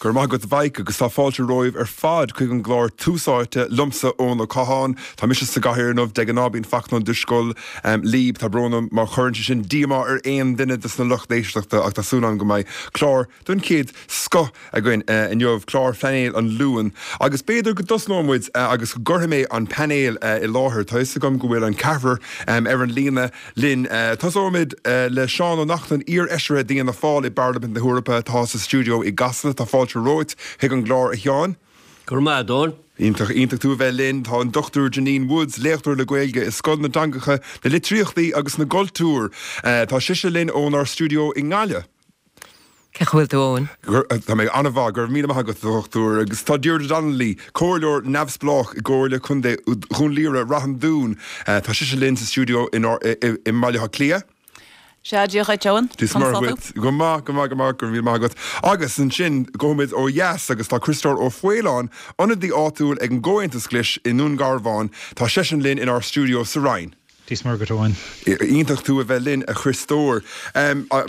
Go raibh maith agat a Mhaidhc agus tá fáilte romhaibh ar fad chuig an gclár Tús Áite liomsa Eoin Ó Catháin. Tá mise sa gcathaoir inniu, de ghnáth bíonn Fachtna Ó Drisceoil libh. Tá brón orm má chuireann sé sin díomá ar aon duine de sna lucht éisteachta ach tá súil agam go mbeidh clár den chéad scoth againn inniu, clár phainéil an Luain. Agus b'fhéidir go dtosnóidh muid agus go gcuirfidh mé an painéal i láthair. Tá fhios agam go bhfuil an ceathrar ar an líne linn. Tosóimid le Seán Ó Neachtain, iar-fheisire d'Fhianna Fáil i bParlaimint na hEorpa atá sa stiúideo i gCasla. Tá fáilte romhat chuig an gclár, a Sheáin. Go raibh maith agat, Eoin. Iontach, iontach tú a bheith linn. Tá an Dr Janine Woods, léachtóir le Gaeilge i Scoil na dTeangacha, na Litríochtaí agus na gCultúr. Tá sise linn ónár stiúideo i nGaillimh. Cén chaoi a bhfuil tú, Eoin? Tá mé an-mhaith, go raibh míle maith agat, a Dhochtúir. Agus tá Deirdre Donnelly, Comhairleoir neamhspleách i gComhairle Contae Dhún Laoghaire, Rath an Dúin, tá sise linn sa stiúideo i mBaile Átha Cliath. Sea, Dia dhuit, Eoin. Dia is Muire dhuit. Go maith, go maith, go maith, go raibh míle maith agat. Agus ansin, gabhfaimid ó dheas agus tá Criostóir Ó Faoláin, ionadaí áitiúil ag an gComhaontas Glas i nDún Garbhán, tá seisean linn inár stiúideo sa Rinn. Dia is Muire dhuit, Eoin. Iontach tú a bheith linn, a Chriostóir.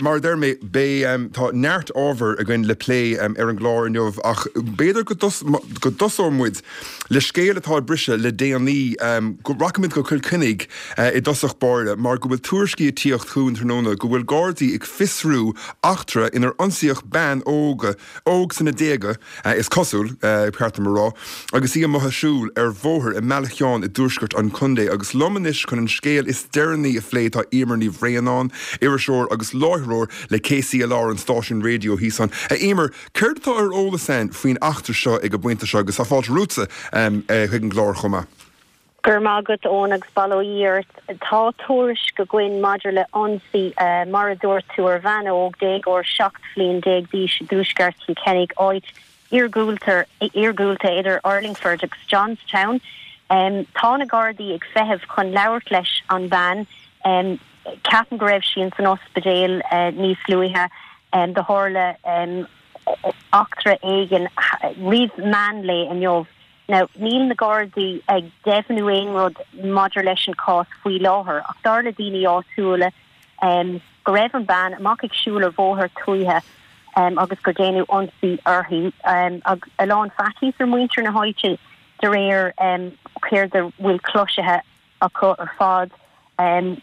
Mar a deir mé, beidh, tá neart ábhar againn le plé ar an gclár inniu ach b'fhéidir go go dtosóidh muid le scéal atá ag briseadh le déanaí. Go rachaimid go Cill Chainnigh i dtosach báire mar go bhfuil tuairiscí ag tíocht chugainn tráthnóna go bhfuil Gardaí ag fiosrú eachtra inar ionsaíodh bean óg, óg sna déaga, is cosúil, ba cheart dom a rá, agus í amuigh ag siúl ar bhóthar i mBealach Sheáin i dtuaisceart an chontae. Agus liom anois chun an scéal is deireanaí a phlé tá Eimear Ní Bhraonáin, iriseoir agus láithreoir le KCLR, an stáisiún raidió thíos ann. A Eimear, céard atá ar eolas againn faoin eachtra seo ag an bpointe seo agus tá fáilte romhatsa chuig an gclár chomh maith. Go raibh maith agat, Eoin, agus bail ó Dhia ort. Tá tuairisc againn maidir le ionsaí, mar a dúirt tú, ar bhean óg, déagóir 17 bhliain d'aois i dtuaisceart Chill Chainnigh, áit iargúlta idir Urlingford agus Johnstown. Tá na Gardaí ag feitheamh chun labhairt leis an bhean. Ceapaim go raibh sí ins an ospidéal níos luaithe. Do tharla eachtra éigin roimh meán lae inniu. Now, níl na Gardaí ag deimhniú aon rud maidir leis an chás faoi láthair, ach dar le daoine áitiúla go raibh an bean amach ag siúl ar bhóthar tuaithe agus gur déanadh ionsaí uirthi. A lán faitíos ar mhuintir na háite de réir céard a bhfuil cloisithe acu ar fad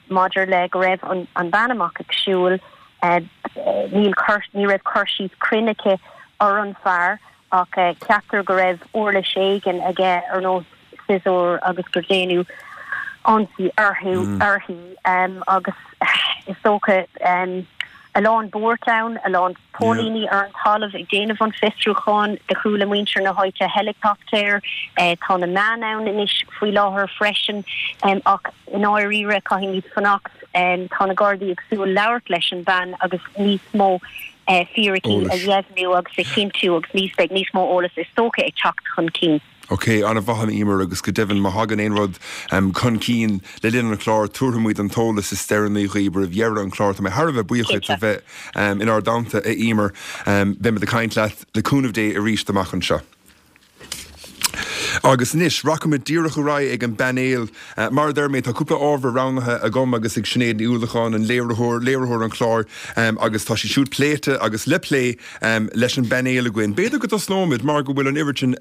maidir le go raibh an bhean amach ag siúl. Níl cur, ní raibh cur síos cruinn aici ar an fear ach ceaptar go raibh uirlis éigin aige ar nós siosúr agus gur déanadh ionsaí orthu, uirthi agus is dócha a lán buairt ann, a lán póilíní ar an talamh ag déanamh an fiosrúcháin. Do chuala muintir na háite heileacaptair. Tá na meáin ann anois faoi láthair freisin. Ach i ndáiríre, caithfimid fanacht. Tá na Gardaí ag súil labhairt leis an bhean agus níos mó fíricí a dheimhniú agus a chinntiú agus níos beidh níos mó eolas is dócha ag teacht chun cinn. Ok, an-mhaith a Eimear agus go deimhin má thagann aon rud chun cinn le linn an chláir tabharfaidh muid an t-eolas is deireanaí dhaoibh roimh dheireadh an chláir. Tá mé thar a bheith buíoch dhuit a bheith inár dteannta a Eimear. Beimid ag caint leat le cúnamh Dé arís amach anseo. Agus anois, rachaimid díreach ar aghaidh ag an bpainéal. Mar a deir mé, tá cúpla ábhar roghnaithe agam agus ag Sinéad Ní Uallacháin, an léiritheoir, léiritheoir an chláir, agus tá siad siúd pléite agus le plé leis an bpainéal againn. B'fhéidir go dtosnóimid mar go bhfuil an oiread sin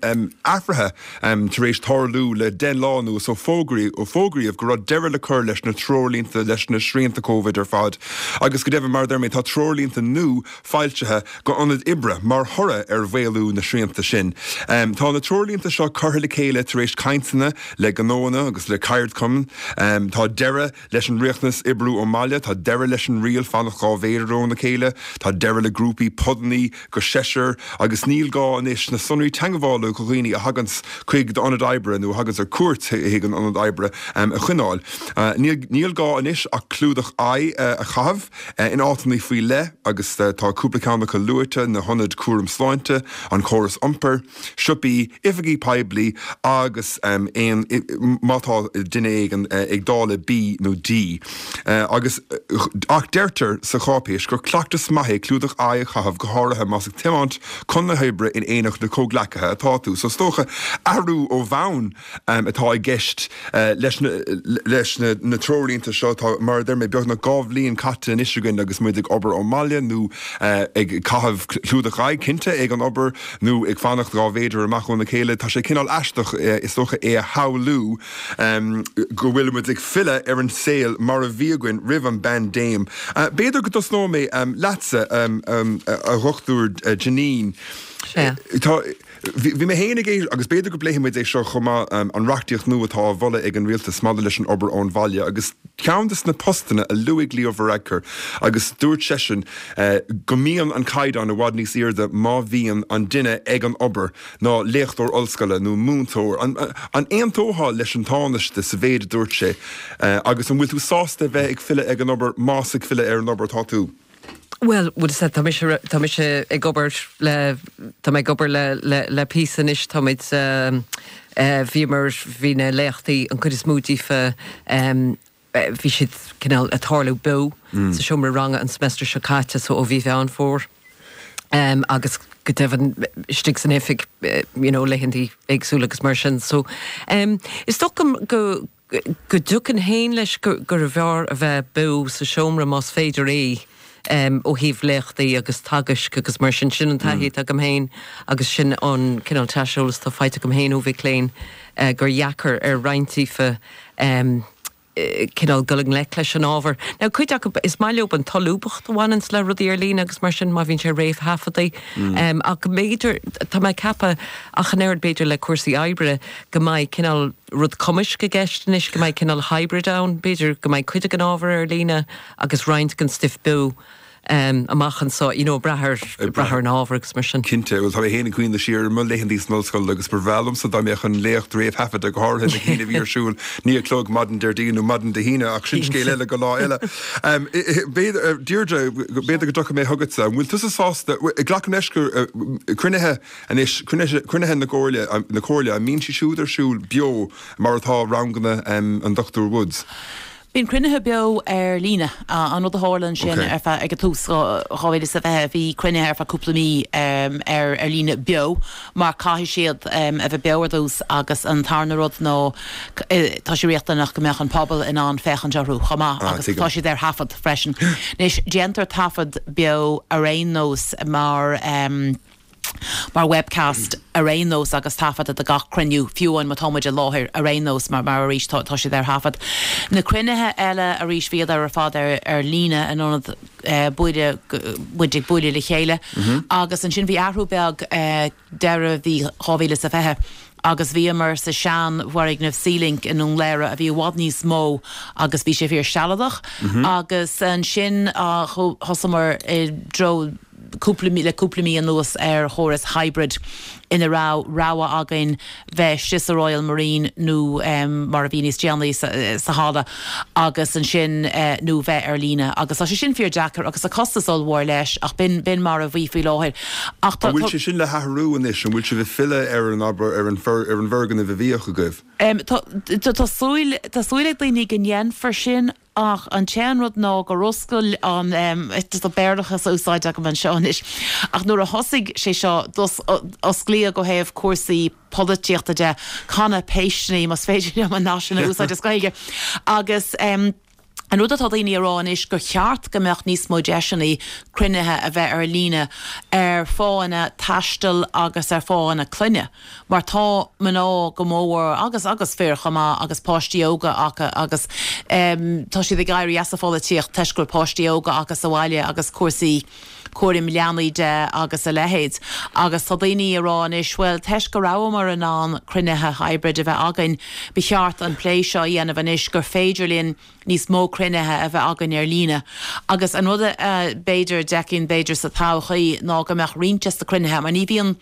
athruithe tar éis tarlú le 10 lá anuas ó fógraíodh go raibh deireadh le cur leis na treoirlínte, leis na srianta Covid ar fad. Agus go deimhin, mar a deir mé, tá treoirlínte nua foilsithe go ionaid oibre mar thoradh ar mhaolú na srianta sin. Tá na treoirlínte seo curtha le chéile tar éis cainteanna le gnóanna agus le ceardchumainn. Tá deireadh leis an riachtanas oibriú ón mbaile, tá deireadh leis an riail fanacht 2 mhéadar óna chéile, tá deireadh le grúpaí podannaí go seisear agus níl gá anois na sonraí teagmhála do dhaoine a thaganns chuig d'ionad oibre nó a thaganns ar cuairt chuig an ionad oibre a choinneáil. Níl gá anois ach clúdach aghaidhe a chaitheamh. In áiteanna faoi leith, agus tá cúpla ceann acu luaite, na hionaid cúram sláinte, an córas iompair, siopaí, oifigí poiblí. agus aon, má tá duine éigin ag dáileadh B nó D. Agus, ach deirtear sa cháipéis gur cleachtas maith é clúdach aghaidhe a chaitheamh go háirithe más ag tiomáint chun na hoibre in éineacht le comhghleacaithe atá tú. So is dócha athrú ó bhonn atá i gceist leis na leis na treoirlínte seo. Tá, mar a deir mé, beagnach 2 bhliain caite anois againn agus muid ag obair ón mbaile nó ag caitheamh clúdach aghaidhe, cinnte, ag an obair nó ag fanacht 2 mhéadar amach óna chéile. Tá sé cineál aisteach, is dócha, é a shamhlú go bhfuil muid ag filleadh ar an saol mar a bhí againn roimh an bpaindéim. B'fhéidir go dtosnóidh mé leatsa, a Dhochtúir Janine. Sea. Tá. Bhí mé féin ag éisteacht, agus b'fhéidir go bpléifidh muid é seo chomh maith, an reachtaíocht nua atá á mholadh ag an rialtas maidir leis an obair ón bhaile agus ceann de na postanna a luaigh Leo Varadkar agus dúirt seisean go mbíonn an caighdeán i bhfad níos airde má bhíonn an duine ag an obair ná léachtóir ollscoile nó múinteoir. An aontófá leis an Tánaiste sa mhéid a dúirt sé agus an bhfuil tú sásta a bheith ag filleadh ag an obair más ag filleadh ar an obair atá tú? Bhuel, bhuel, tá mise, tá mise ag obair le, tá mé ag obair le, le, le píosa anois, táimid, bhíomar, bhí na léachtaí, an chuid is mó díofa, bhí siad cineál ag tarlú beo sa seomra ranga an semester seo caite, so ó mhí Mheán Fómhair agus go deimhin istigh san oifig, you know, laethantaí éagsúla agus mar sin. So, is dócha go, go dtiocfainn féin leis gurbh fhearr a bheith beo sa seomra más féidir é ó thaobh léachtaí agus teagaisc agus mar sin. Sin an taithí atá agam féin agus sin an cineál t-aiseolas atá faighte agam féin ó mhic léinn gur dheacair ar roinnt díofa cineál dul i ngleic leis an ábhar. Now cuid acu, is maith leo an tsolúbthacht a bhaineanns le rudaí ar líne agus mar sin má bhíonn sé réamhthaifeadta. Ach b'fhéidir, tá mé ag ceapadh ach an oiread b'fhéidir le cúrsaí oibre go mbeidh cineál, rud cumaisc i gceist anois, go mbeidh cineál hybrid ann, b'fhéidir go mbeidh cuid den ábhar ar líne agus roinnt den stuif beo amach anso, you know, ag brath ar, ag brath ar an ábhar agus mar sin. Cinnte, bhuel tá mé féin ag cuimhneamh siar ar mo laethantaí san ollscoil agus ba bhreá liomsa dá mbeadh an léacht réamhthaifeadta, go háirithe na cinn a bhí ar siúl 9 a chlog maidin Déardaoin nó maidin Dé hAoine ach sin scéal eile go lá eile. B'fhéidir, Deirdre, b'fhéidir go dtiocfaidh mé chugatsa, an bhfuil tusa sásta, glacaim leis gur cruinnithe Anois, cruinnithe na gComhairle, na Comhairle, an mbíonn siad siúd ar siúl beo mar atá ranganna an Dr Woods? Bíonn cruinnithe beo ar líne. An rud a tharla ansin ar feadh, ag an tús, 2020, bhí cruinnithe ar feadh cúpla mí ar ar líne beo mar caithfidh siad a bheith beo ar dtús agus an tarna rud ná tá sé riachtanach go mbeadh an pobal in ann féachaint orthu chomh maith agus tá siad ar thaifead freisin. Anois, déantar taifead beo ar aon nós mar. mar webcast ar aon nós agus taifeadta de gach cruinniú, fiú amháin má tá muid i láthair ar aon nós mar mar arís tá tá siad ar thaifead. Na cruinnithe eile arís bhíodar ar fad ar ar líne in ionad buaile muid ag bualadh le chéile agus ansin bhí athrú beag deireadh mhí 2020 agus bhíomar sa sean bhfoirgneamh Sealink i nDún Laoghaire a bhí i bhfad níos mó agus bhí sé fíor sealadach agus ansin thosaíomar i dtreo cúpla mí, le cúpla mí anuas ar chóras hybrid ina raibh rogha againn bheith istigh sa Royal Marine nó mar a bhí níos déanaí sa halla agus ansin nó bheith ar líne agus tá sé sin fíor deacair agus tá costas ollmhór leis ach b'in, b'in mar a bhí faoi láthair. Ach tá. An bhfuil sé sin le hathrú anois? An bhfuil sibh ag filleadh ar an, abair, ar an ar an bhfoirgneamh a bhíodh agaibh? Tá, tá súil, tá súil ag daoine go ndéanfar sin Ach an t-aon rud ná gur oscail an, tá Béarlachas á úsáid agam anseo anois, ach nuair a thosaigh sé seo, osclaíodh ó thaobh cúrsaí polaitíochta de, canna péisteanna, más féidir liom an nath sin a úsáid as Gaeilge. Agus an rud atá daoine a rá anois gur cheart go mbeadh níos mó deiseanna cruinnithe a bheith ar líne ar fáthanna taistil agus ar fáthanna clainne. mar tá mná go mór agus agus fir chomh maith agus páistí óga acu agus tá siad ag éirí as an pholaitíocht toisc go bhfuil páistí óga acu sa bhaile agus cúrsaí cúraim leanaí de agus a leithéid. Agus tá daoine ag rá anois, bhuel, toisc go rabhamar in ann cruinnithe hybrid a bheith againn, ba cheart an plé seo a dhéanamh anois gur féidir linn níos mó cruinnithe a bheith againn ar líne. Agus an rud a b'fhéidir, d'fheicfinn b'fhéidir sa todhchaí ná go mbeadh roinnt des na cruinnithe, mar ní bhíonn,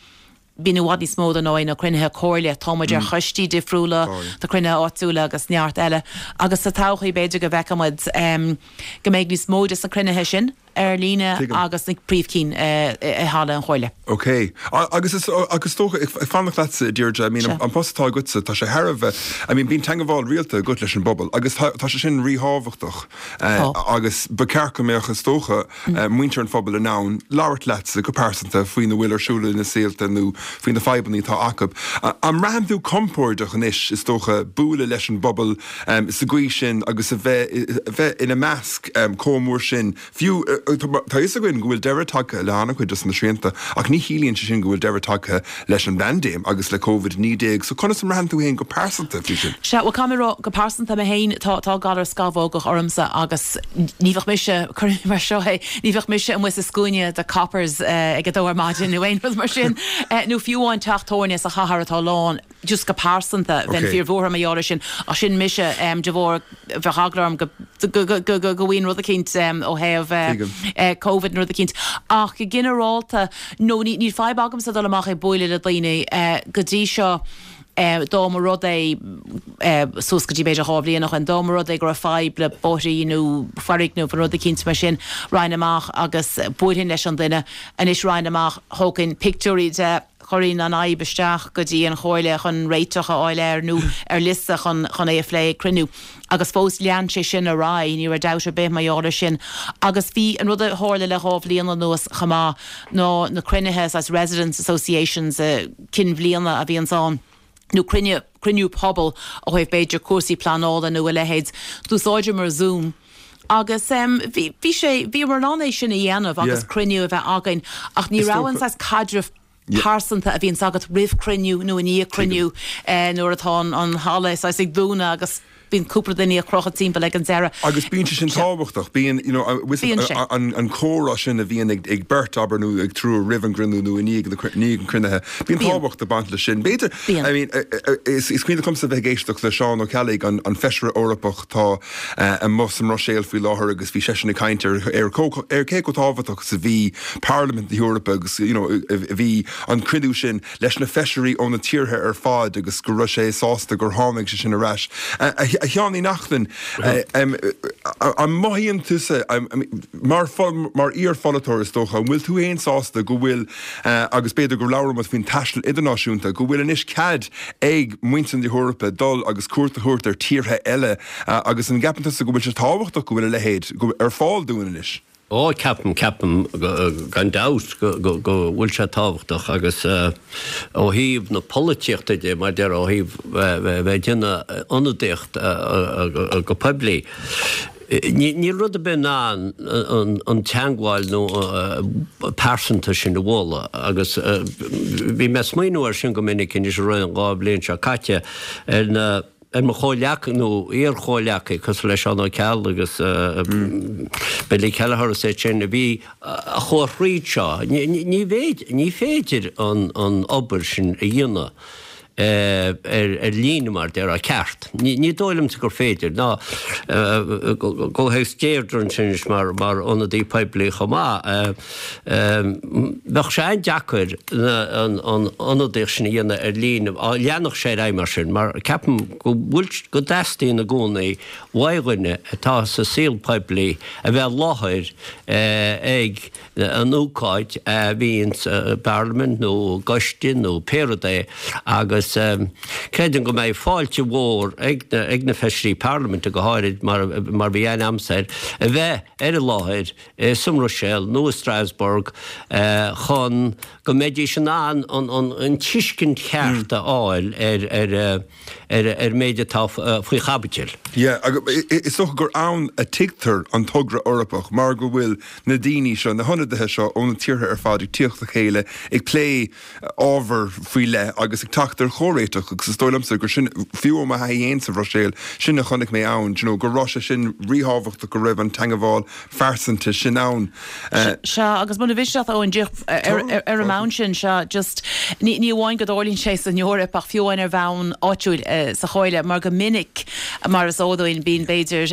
Bíonn i bhfad níos mó dar ndóigh ná cruinnithe comhairle. Tá muid ar choistí difriúla, tá cruinnithe áitiúla agus neart eile. Agus sa todhchaí b'fhéidir go bhfeicfidh muid go mbeidh níos mó des na cruinnithe sin ar líne agus na príomhchinn i halla an Chomhairle. Ok. Agus is agus is dócha, ag fanacht leatsa, a Deirdre, I mean, an post atá agatsa, tá sé thar a bheith, I mean, bíonn teangabháil rialta agat leis an bpobal agus tá tá sé sin ríthábhachtach agus ba cheart go mbeadh, is dócha, muintir an phobail in ann labhairt leatsa go pearsanta faoina bhfuil ar siúl ina saolta nó faoi na fadhbanna atá acu. An mbraitheann tú compordach anois, is dócha, bualadh leis an bpobal sa gcaoi sin agus a bheith a bheith ina measc chomh mór sin Fiú, tá a fhios againn go bhfuil deireadh tagtha le han-chuid dos na srianta, ach ní chiallaíonn sé sin go bhfuil deireadh tagtha leis an bpaindéim agus le Covid-19. So conas a mbraitheann tú féin go pearsanta faoi sin? Sea, bhuel, caithfidh mé a rá, go pearsanta mé féin, tá, tá galar scamhógach ormsa agus ní bheadh mise, cuirfidh mé mar seo é, ní bheadh mise amuigh sa scuaine do Coppers ag a dó ar maidin nó aon rud mar sin, nó fiú amháin teach tabhairne sa chathair atá lán. just go pearsanta, bheinn fíor-bhuartha mar gheall air sin, ach sin mise, de bharr, bheadh eagla orm go, go, go, go, go bhfaighinn rud eicínt ó thaobh Covid nó rud eicínt. Ach go ginearálta, no, ní, níl fadhb agamsa dul amach ag bualadh le daoine go dtí seo, dá mba rud é, suas go dtí b'fhéidir 2 bhliain ó shin, dá mba rud é go raibh fadhb le bóithrí nó foirgneamh nó rud eicínt mar sin, raghainn amach agus buailfinn leis an duine. Anois raghainn amach, thógfainn pictiúirí de, Chuirfinn an fhadhb isteach go dtí an Chomhairle chun réiteach a fháil air nó ar liosta chun chun é a phlé ag cruinniú. Agus fós lean sé sin ar aghaidh, ní raibh dabht ar bith mar gheall air sin. Agus bhí an rud a tharla le 2 bhliain anuas chomh maith ná na cruinnithe saghas residents associations cinn bhliana a bhíonns ann nó cruinniú cruinniú pobail ó thaobh b'fhéidir cúrsaí pleanála nó a leithéid. D'úsáideamar Zoom agus bhí bhí sé bhíomar in ann é sin a dhéanamh agus cruinniú a bheith againn ach ní raibh an saghas caidreamh pearsanta a bhíonns agat roimh chruinniú nó i ndiaidh cruinniú nuair atá an halla saghas ag dúnadh agus bíonn cúpla duine ag crochadh timpeall ag an deireadh. Agus bíonn sé sin tábhachtach. Bíonn, you know, an an comhrá sin a bhíonn ag ag beirt, abair, nó ag triúr roimh an gcruinniú nó i ndiaidh ndiaidh an chruinnithe. Bíonn tábhacht ag baint leis sin. B'fhéidir, I mean, is cuimhin liomsa bheith ag éisteacht le Seán Ó Ceallaigh, an an Feisire Eorpach atá amuigh sa mBruiséil faoi láthair agus bhí seisean ag caint ar ar ar cé chomh tábhachtach is a bhí Parlaimint na hEorpa agus you know a bhí an cruinniú sin leis na feisirí ó na tíortha ar fad agus go raibh sé sásta gur tháinig sé sin ar ais. A Sheáin Uí Neachtain, an mothaíonn tusa, mar mar iar-pholaiteoir is dócha, an bhfuil tú féin sásta go bhfuil, agus b'fhéidir go labhróidh muid faoin taisteal idirnáisiúnta, go bhfuil anois cead ag muintir na hEorpa dul agus cuairt a thabhairt ar tíortha eile agus an gceapann tusa go bhfuil sé tábhachtach go bhfuil a leithéid ar fáil dúinn anois? Ó, ceapaim, ceapaim gan dabht go bhfuil sé tábhachtach agus ó thaobh na polaitíochta de, mar a déarfá, ó thaobh bheith ag déanamh ionadaíocht go poiblí, níl rud ar bith in ann an teangmháil nó pearsanta sin a bhualadh agus bhí mé ag smaoineamh air sin go minic anois i rith an 2 bhliain seo caite ar na ar mo chomhghleacaithe nó iar-chomhghleacaithe cosúil le Seán Ó Ceallaigh agus Billy Kelleher is iad sin a bhí a chuaigh thríd seo. Ní ní féidir an obair sin a dhéanamh ar líne mar a déarfá ceart. Ní dóigh liomsa gur féidir ná i gcomhthéacs Deirdre ansin anois mar ionadaí poiblí chomh maith. Bheadh sé an-deacair an ionadaíocht sin a dhéanamh ar líne, dá leanfadh sé ar aghaidh mar sin, mar ceapaim go bhfuil, go dteastaíonn i gcónaí uaidh dhuine atá sa saol poiblí a bheith i láthair ag an ócáid a bhíonn sa bParlaimint nó i gcoiste nó pé rud é agus creidim go mbeidh fáilte mhór ag na feisirí parlaiminte go háirid mar mar bhí aithne agamsa air, a bheith ar an láthair sa mBruiséil nó i Strasbourg chun go mbeidís in ann an tuiscint cheart a fháil ar ar méid atá faoi chaibidil. Yeah, is dócha gur ann a tuigtear an togra Eorpach mar go bhfuil na daoine seo, na hionadaithe seo ó na tíortha ar fad ag tíocht le chéile ag plé ábhar faoi leith agus ag teacht ar chomhréiteach agus is dóigh liomsa gur sin, fiú ó mo thaithí fhéin sa Bhruiséil, sin a chonaic mé ann, do you know, go raibh sé sin ríthábhachtach go raibh an teangabháil phearsanta sin ann. Sea, agus muna mhiste leat, Eoin, díreach ar an mbonn sin, sea, just, ní amháin go dtarlaíonn sé san Eoraip ach fiú amháin ar bhonn áitiúil sa Chomhairle, mar go minic, mar is eol dúinn, bíonn b'fhéidir,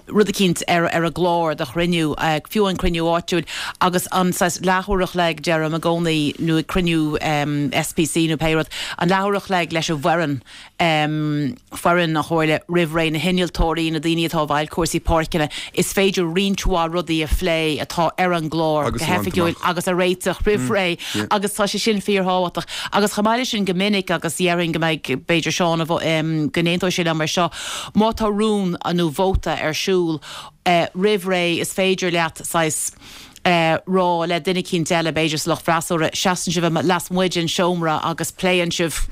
rud eicínt ar an gclár do chruinniú, fiú an cruinniú áitiúil, agus an saghas leathuair a chloig, deirim i gcónaí, nó ag cruinniú SPC nó pé rud. An leathuair a chloig leis an bhfoireann, foireann an Chomhairle roimh ré, na hinnealtóirí, na daoine atá i bhfeighil cúrsaí páirceanna, is féidir roinnt mhaith rudaí a phlé atá ar an gclár go hoifigiúil agus a réiteach roimh ré agus tá sé sin fíorthábhachtach. Agus chomh maith leis sin go minic, agus déarfainn go mbeidh, b'fhéidir Seán, go n-aontóidh sé liom ar seo, má tá rún nó vóta ar siúl roimh ré is féidir leat saghas, rá le duine eicínt eile, b'fhéidir sa lucht freasúra, seasann sibh lasmuigh den seomra agus pléann sibh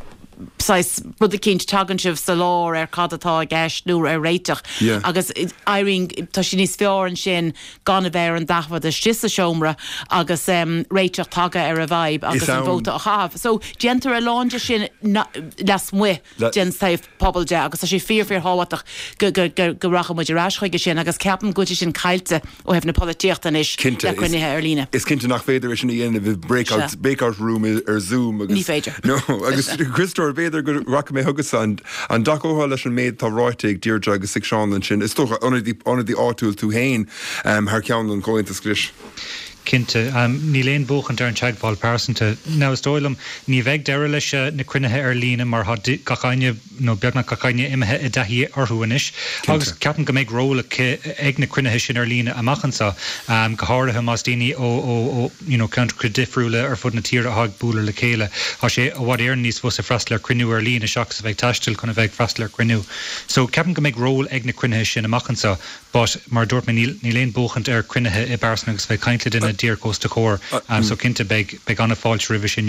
saghas rud eicínt, tagann sibh sa lár ar cad atá i gceist nó ar réiteach agus éiríonn, tá sé níos fearr ansin gan a bheith ar an dtaifead istigh sa seomra agus réiteach tagtha ar an bhfadhb agus an vóta á chaitheamh. So déantar a lán de sin lasmuigh. den taobh pobail de agus tá sé fíor fíor thábhachtach go go go rachaidh muid ar ais chuige sin agus ceapaim go bhfuil sé sin caillte ó thaobh na polaitíochta anois le cruinnithe ar líne. Is cinnte nach féidir é sin a dhéanamh i breakout breakout room ar Zoom agus Ní féidir. No agus Criostóir b'fhéidir go rachaidh mé chugatsa an an dtacófá leis an méid atá ráite ag Deirdre agus ag Seán ansin is dócha ionadaí ionadaí áitiúil tú féin thar ceann an Chomhaontais Ghlais. Cinnte. Níl aon bhuachaint ar an teagmháil pearsanta. Now is dóigh liom, ní bheidh deireadh leis na cruinnithe ar líne mar tá gach éinne, nó beagnach gach éinne imithe i dtaithí orthu anois. Agus ceapaim go mbeidh ról aici, ag na cruinnithe sin ar líne amach anseo, go háirithe más daoine ó, ó, ó, you know, ceantracha difriúla ar fud na tíre atá ag bualadh le chéile. Tá sé i bhfad Éireann níos fusa freastal ar chruinniú ar líne seachas a bheith ag taisteal chun a bheith ag freastal ar chruinniú. So ceapaim go mbeidh ról ag na cruinnithe sin amach anseo. But, mar a dúirt mé, níl, níl aon buachaint ar cruinnithe i bpearsan agus bheith ag caint le duine díreach os do chomhair. So cinnte, beidh, beidh an-fháilte roimhe sin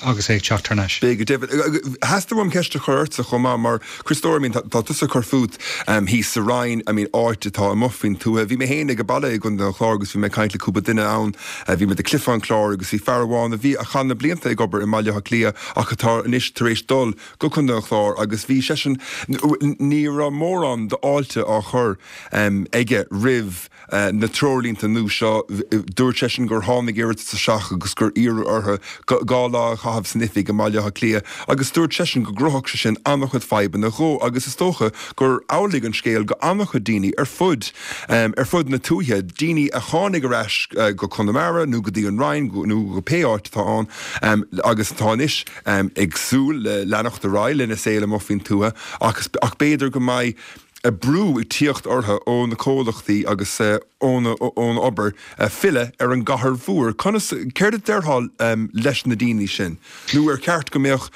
agus é ag teacht thar n-ais. Beidh, go deimhin. Theastaigh uaim ceist a chur ortsa chomh maith mar, Criostóir, I mean, tá, tá tusa ag cur fút thíos sa Rinn, I mean, áit atá amuigh faoin tuaithe. Bhí mé féin ag baile i gContae an Chláir agus bhí mé ag caint le cúpla duine ann. Bhí muid ag Cliff an Chláir agus bhí fear amháin a bhí, a chaith na blianta ag obair i mBaile Átha Cliath ach atá anois tar éis dul go Contae an Chláir agus bhí seisean, ní raibh mórán d'fháilte á chur aige roimh na treoirlínte nua seo. Dúirt seisean gur tháinig iarratas isteach agus gur iarradh orthu 2 lá a chaitheamh san oifig i mBaile Átha Cliath agus dúirt seisean go gcruthódh sé sin an-chuid fadhbanna dhó agus is dócha gur amhlaidh an scéal go an-chuid daoine ar fud ar fud na tuaithe, daoine a tháinig ar ais go Conamara nó go dtí an Rinn nó go pé áit atá ann agus atá anois ag súil le leanacht ar aghaidh lena saol amuigh faoin tuath ach ach b'fhéidir go mbeidh brú ag tíocht orthu ó na comhlachtaí agus ón ón obair filleadh ar an gcathair mhór. Conas, céard a déarfá leis na daoine sin? Nó ar cheart go mbeadh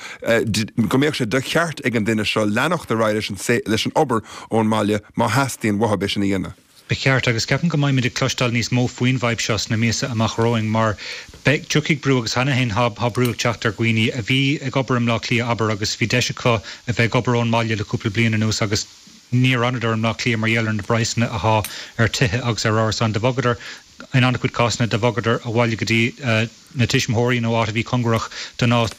go mbeadh sé de cheart ag an duine seo leanacht ar aghaidh leis an leis an obair ón mbaile má theastaíonn uathu é sin a dhéanamh? Ba cheart, agus ceapaim go mbeimid ag cloisteáil níos mó faoin bhfadhb seo sna míosa amach romhainn mar beidh, tiocfaidh brú agus cheana féin tá brú ag teacht ar dhaoine a bhí ag obair i mBleá Cliath, abair, agus bhí deis acu a bheith ag obair ón mbaile le cúpla bliain anuas agus níor fhanadar i mBleá Cliath mar gheall ar na praghsanna athá ar tithe agus ar árasáin. Do bhogadar, in an-chuid cásanna, do bhogadar abhaile go dtí na tuismitheoirí nó áit a bhí cóngarach don áit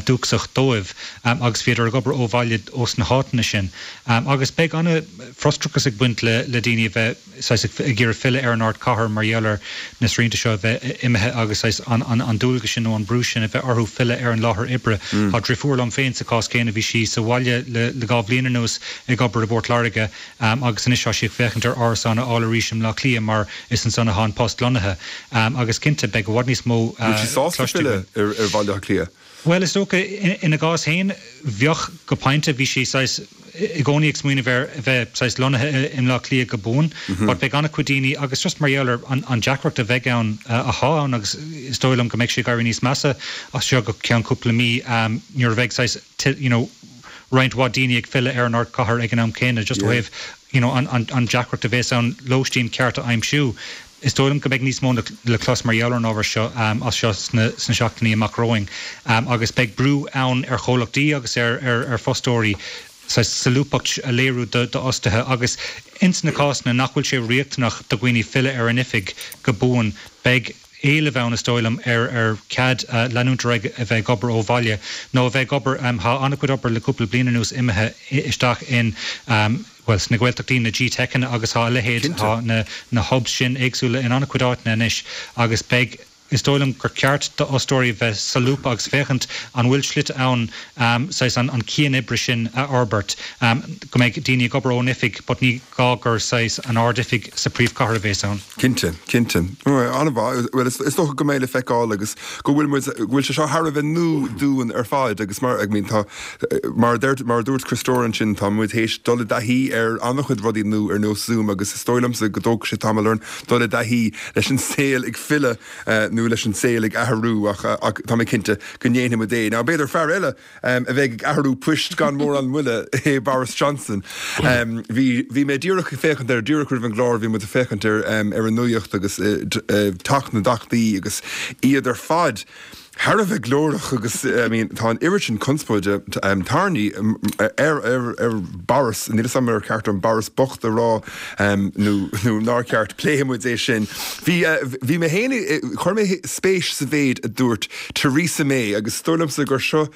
dúchasach dóibh agus bhíodar ag obair ó bhaile ós na háiteanna sin. Agus beidh an-fhrustrachas ag baint le daoine a bheith saghas ag iarraidh filleadh ar an ardchathair mar gheall ar na srianta seo a bheith imithe agus saghas an dualgas sin nó an brú sin a bheith orthu filleadh ar an láthair oibre. Tá driofúr liom féin sa chás céanna, bhí sí sa bhaile le 2 bhliain anuas ag obair i bPort Láirge Agus anois tá sí ag féachaint ar árasán a fháil arís i mBleá Cliath mar is ansan atá an post lonnaithe. Agus cinnte, beidh i bhfad níos mó Bhfuil sí sásta cloiste againn. filleadh ar Bhaile Átha Cliath? Bhuel, is dócha, ina gcás féin, bheadh go pointe. Bhí sí saghas i gcónaí ag smaoineamh ar a bheith saghas lonnaithe i mBleá Cliath go buan. But beidh an-chuid daoine, agus just mar gheall ar an deacracht a bheidh ann, athá ann agus is dóigh liom go mbeidh sé ag éirí níos measa as seo go ceann cúpla mí, nuair a bheidh saghas, you know, roinnt mhaith daoine ag filleadh ar an ardchathair ag an am céanna, just ó thaobh you know an an deacracht a bhéas ann lóistín ceart a aimsiú. Is dóigh liom go mbeidh níos mó le clos mar gheall ar an ábhar seo as seo sna sna seachtainí amach romhainn agus beidh brú ann ar chomhlachtaí agus ar ar ar fostóirí saghas solúbthacht a léiriú do d'fhostaithe agus ins na cásanna nach bhfuil sé riachtanach do dhaoine filleadh ar an oifig go buan beidh éileamh ann, is dóigh liom, ar ar cead leanúint ar aghaidh a bheith ag obair ó bhaile nó a bheith ag obair, tá an-chuid obair le cúpla bliain anuas imithe isteach in, bhuel, sna Gaeltachtaí, na GTeiceanna agus tá a leithéid, tá na na hubs sin éagsúla in an-chuid áiteanna anois agus beidh. is dóigh liom gur ceart d'fhostóirí bheith solúbtha agus féachaint an bhfuil slite ann saghas an cian oibre sin a fhorbairt, go mbeidh daoine ag obair ón oifig but ní gá gur saghas an ard-oifig sa phríomhchathair a bhéas ann. Cinnte, cinnte. An-mhaith. Bhuel, is dócha go mbeidh le feiceáil agus go bhfuil muid, go bhfuil sé seo thar a bheith nua dúinn ar fad agus mar, I mean, tá, mar a deir, mar a dúirt Críostóir ansin, tá muid théis dul i dtaithí ar an-chuid rudaí nua ar nós Zoom agus is dóigh liomsa go dtógfaidh sé tamall orainn dul i dtaithí leis an saol ag filleadh nó leis an saol ag athrú ach tá mé cinnte go ndéanfaidh muid é. Now b'fhéidir fear eile a bheidh ag athrú poist gan mórán moille é Boris Johnson. Bhí bhí mé díreach ag féachaint ar, díreach roimh an gclár bhí muid ag féachaint ar ar an nuacht agus teach na dTeachtaí agus iad ar fad thar a bheith glórach agus I mean tá an oiread sin conspóide tarraingthe ar ar ar Boris, níl 'fhios a'm ar ceart dom Boris bocht a rá nó nó nár cheart, pléifidh muid é sin. Bhí bhí mé féin chuir mé spéis sa mhéid a dúirt Theresa May agus is dóigh liomsa gur seo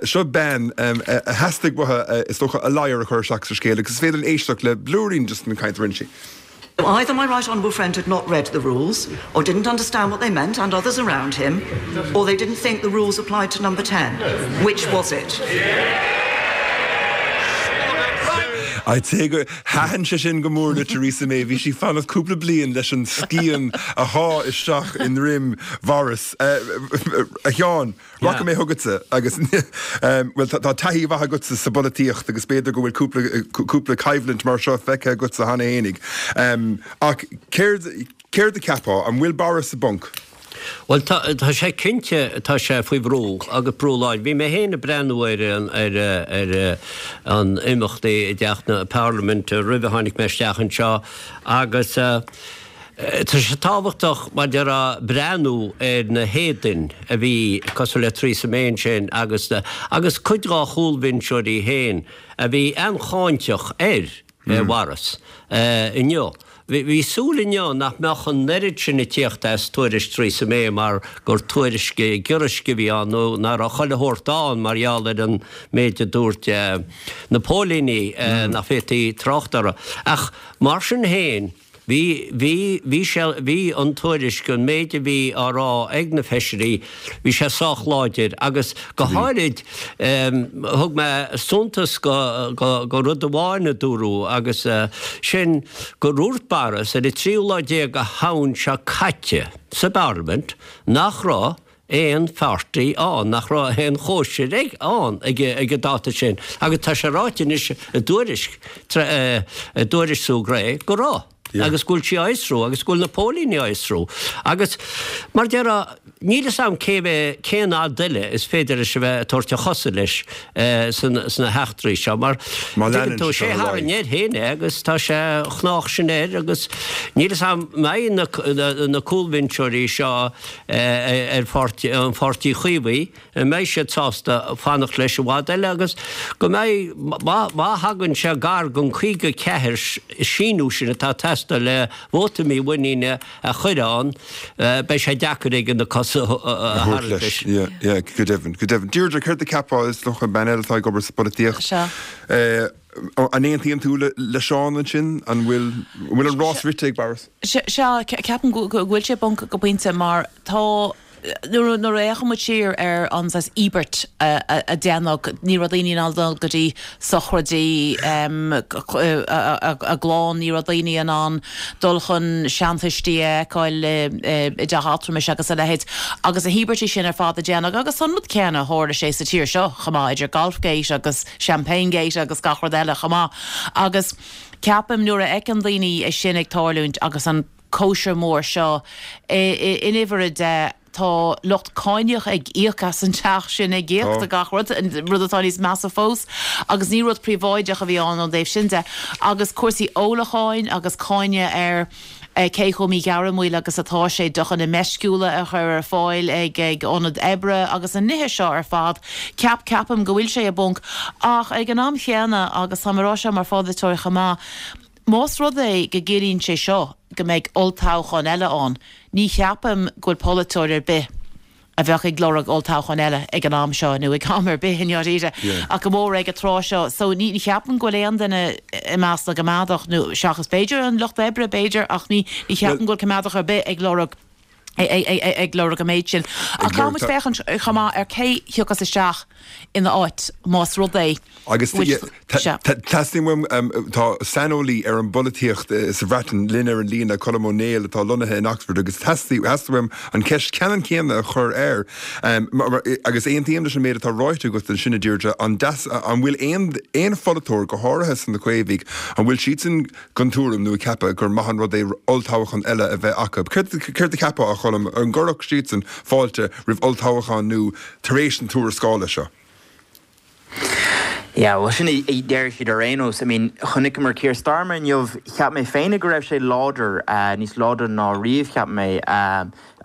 seo bean a theastaigh uaithi is dócha a ladhar a chur isteach sa scéal agus is féidir linn éisteacht le blúirín just den chaint a rinne sí. Either my right honourable friend had not read the rules, or didn't understand what they meant and others around him, or they didn't think the rules applied to number 10. Which was it? I'd say gur thaitin sé sin go mór le Theresa May. Bhí sí ag fanacht cúpla bliain leis an scian a shá isteach i ndroim Bhoris. A Sheáin, Rachaidh mé chugatsa agus, bhuel, tá taithí mhaith agatsa sa bpolaitíocht agus b'fhéidir go bhfuil cúpla, cúpla coimhlint mar seo feicthe agatsa cheana fhéinig. Ach céard, céard a cheapfá? An bhfuil Boris i bponc? Bhuel, tá, tá sé cinnte, tá sé faoi bhrú agus brú láidir. Bhí mé féin ag breathnú ar an, ar, ar an imeachtaí i dTeach na Parlaiminte roimh a tháinig mé isteach anseo agus, Tá sé tábhachtach, mar a déarfá, breathnú ar na héadain a bhí cosúil le Theresa May ansin agus agus cuid dá chúlbhinseoirí féin a bhí an-cháinteach ar Bhoris inniu. Bhí súil inniu nach mbeadh an oiread sin ag tíocht as tuairisc Theresa May mar gur tuairisc giorraisc a bhí ann nó nach raibh chuile shórt ann mar gheall ar an méid a dúirt na póilíní nach bhféadfaí trácht orthu. Ach mar sin féin, Bhí, bhí, bhí sé, bhí an tuairisc, an méid a bhí á rá ag na feisirí, bhí sé sách láidir agus go háirid thug mé suntas go, go, go rud amháin a dúradh agus sin gur dhúirt Boris ar an tríú lá déag de Shamhain seo caite sa bParlaimint nach raibh aon pháirtí ann, nach raibh aon chóisir ag ann ag an dáta sin agus tá sé ráite anois i dtuairisc, i dtuairisc Sue Gray go raibh agus go bhfuil sí á fhiosrú agus go bhfuil na póilíní á fhiosrú agus mar a déarfá níl fhios a'm cé mhéad, cén fhad eile is féidir leis a bheith ag tabhairt a chosa leis sna heachtraí seo mar tuigeann tú, sé a tharraing air féin é agus tá sé chách sin air agus níl fhios a'm mbeidh na cúlbhinseoirí seo ar pháirtí, an Pháirtí Chaomhaigh, an mbeidh siad sásta fanacht leis i bhfad eile agus go mbeidh, má, má thagann sé gar don 54 síniú sin atá ag teastáil le vóta mímhuiníne a chur ann, beidh sé deacair aige na cosa a tharraingt leis. Yeah, yeah, go deimhin, go deimhin. Deirdre, céard a cheapfá, is dócha, bean eile atá ag obair sa bpolaitíocht. Sea. An aontaíonn tú le Seán ansin? An bhfuil, an bhfuil an rás rite ag Boris? Sea, ceapaim go bhfuil sé i bponc go pointe mar tá, nuair a fhéachann muid siar ar an saghas íobairt a déanadh, ní raibh daoine in ann dul go dtí sochraidí a gclann, ní raibh daoine in ann dul chun seantuistí a fheiceáil i dteach altramais agus a leithéid. Agus na híobairtí sin ar fad a déanadh agus an rud céanna, tharla sé sa tír seo chomh maith, idir Golfgate agus Champagnegate agus gach rud eile chomh maith. Agus. Ceapaim nuair a fheiceann daoine é sin ag tarlúint agus an cóisir mhór seo in uimhir a deich, tá lucht cáineach ag íoc as an teach sin, ag íoc do gach rud, rud atá níos measa fós. Agus ní rud príobháideach a bhí ann ón dtaobh sin de. Agus cúrsaí ólacháin agus cáineadh ar. cé chomh míghairmiúil agus atá sé deochanna meisciúla a chur ar fáil ag ionaid oibre agus na nithe seo ar fad. Ceap, ceapaim go bhfuil sé i bponc. Ach ag an am chéanna, agus táim ag rá seo mar pholaiteoir chomh maith, más rud é go gciallaíonn sé seo go mbeidh olltoghchán eile ann, ní cheapaim go bhfuil polaiteoir ar bith, a bheadh ag lorg olltoghchán eile ag an am seo, nó ag am ar bith i ndáiríre, ach go mór ag an tráth seo. So ní cheapaim go bhfuil aon duine i measc na gcoimeádach, nó seachas b'fhéidir an Lucht Oibre, b'fhéidir, ach ní cheapaim go bhfuil coimeádach ar bith ag lorg. Ag lorg an méid sin. Ach caithfidh muid féachaint chomh maith ar cé thiocfas isteach ina áit más rud é Agus teastaíonn uaim, tá saineolaí ar an bpolaitíocht sa Bhreatain linn ar an líne, Colm Ó Néill, atá lonnaithe in Oxford, agus theastaigh uaim an cheist ceannann céanna a chur air. Agus aontaím leis an méid atá ráite agat ansin, a Deirdre, an bhfuil aon pholaiteoir, go háirithe sna Caomhaigh, an bhfuil siadsan den tuairim nó ag ceapadh gur maith an rud é olltoghchán eile a bheith acu. Céard a cheapfá, a Choilm, an gcuirfeadh siadsan fáilte roimh olltoghchán nua tar éis na tuarascála seo? Yeah, bhuel sin a deir siad ar aon nós. I mean, chonaiceamar Keir Starmer inniu, cheap mé féinig go raibh sé láidir, níos láidre ná riamh cheap mé.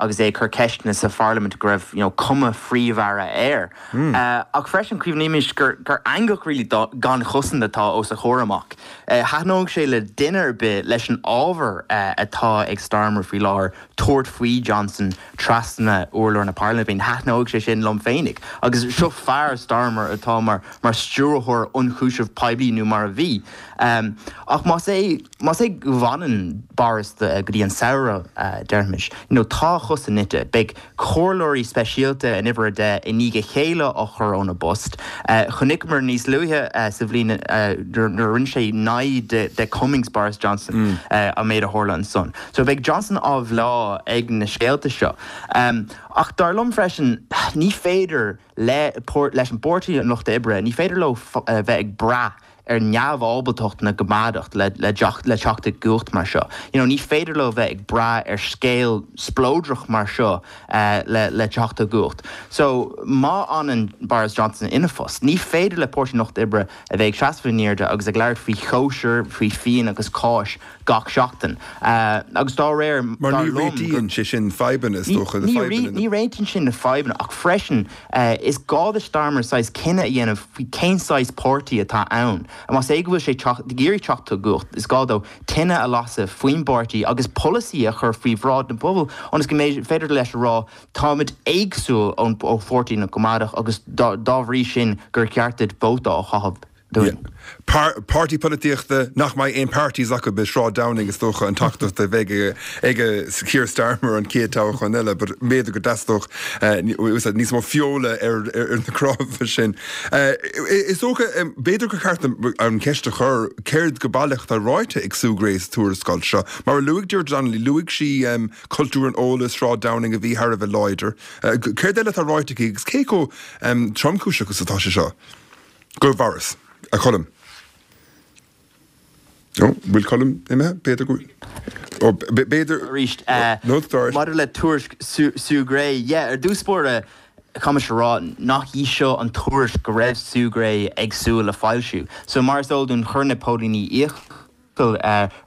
agus é ag cur ceisteanna sa pharlaimint go raibh you know cuma phríomh-aire air. Ach freisin cuimhnímis gur gur eangach really gan chosaint atá os a chomhair amach. Thaitneodh sé le duine ar bith leis an ábhar atá ag Starmer faoi láthair tabhairt faoi Johnson trasna urlár na parlaiminte. Thaitneodh sé sin liom féinig. Agus seo fear, Starmer, atá mar mar stiúrthóir ionchúiseamh poiblí nó mar a bhí. Ach más é. Más é go bhfanann Boris go dtí an samhradh, déarfaimis, you know, tá a chosa nite. Beidh comhairleoirí speisialta in uimhir a 10 i ndiaidh a chéile á chur óna bpost. Chonaiceamar níos luaithe sa bhliain nuair a rinne sé naimhde de Cummings, Boris Johnson, an méid a tharla ansan. So beidh Johnson á bhleá ag na scéalta seo. Ach dar liom freisin, ní féidir le, leis an bPáirtí an Lucht Oibre, ní féidir leo bheith ag brath ar neamhábaltacht na gCoimeádach le le teacht i gcumhacht mar seo. You know, ní féidir leo bheith ag brath ar scéal spleodrach mar seo le le teacht i gcumhacht. So, má fhanann Boris Johnson ina phost, ní féidir le Páirtí an Lucht Oibre a bheith ag seasamh in airde agus ag labhairt faoi chóisir, faoi fíon agus cáis gach seachtain. Agus dá réir, Mar dar ní liom gur. réitíonn sé sin fadhbanna, is dócha, na Ní fadhbanna. ní réitíonn sin na fadhbanna ach freisin is gá do Starmer saghas cinneadh a dhéanamh faoi cén saghas páirtí atá ann. Más é go bhfuil sé ag iarraidh teacht i gcumhacht, is gá dó tine a lasadh faoin bpáirtí agus polasaí a chur faoi bhráid na bpobal ionas go mbeidh féidir leis a rá táimid éagsúil ó pháirtí na gCoimeádach agus dá bhrí sin gur cheart duit vóta a chaitheamh dúinn. Páirtí polaitíochta nach mbeidh aon parties acu i Sráid Downing is dócha an teachtaireacht a bheidh ag Keir Starmer an chéad toghchán eile but b'fhéidir go dteastódh níos mó feola ar na cnámha sin. Is dócha, b'fhéidir gur cheart an cheist a chur céard go baileach atá ráite ag Sue Gray sa tuarascáil seo. Mar a luaigh Deirdre Donnelly, luaigh sí cultúr an óil i Sráid Downing a bhí thar a bheith láidir. Céard eile atá ráite aici agus cé chomh tromchúiseach is atá sé seo? Do Bhoris, a Choilm. Ó, bhfuil Colm imithe? B'fhéidir go bhfuil. Ó, b'fhéidir. Arís, maidir le tuairisc Sue Gray, yeah, ar dtús báire, caithfidh mise a rá nach í seo an tuairisc go raibh Sue Gray ag súil le foilsiú. So, mar is eol dúinn, chuir na póilíní iachall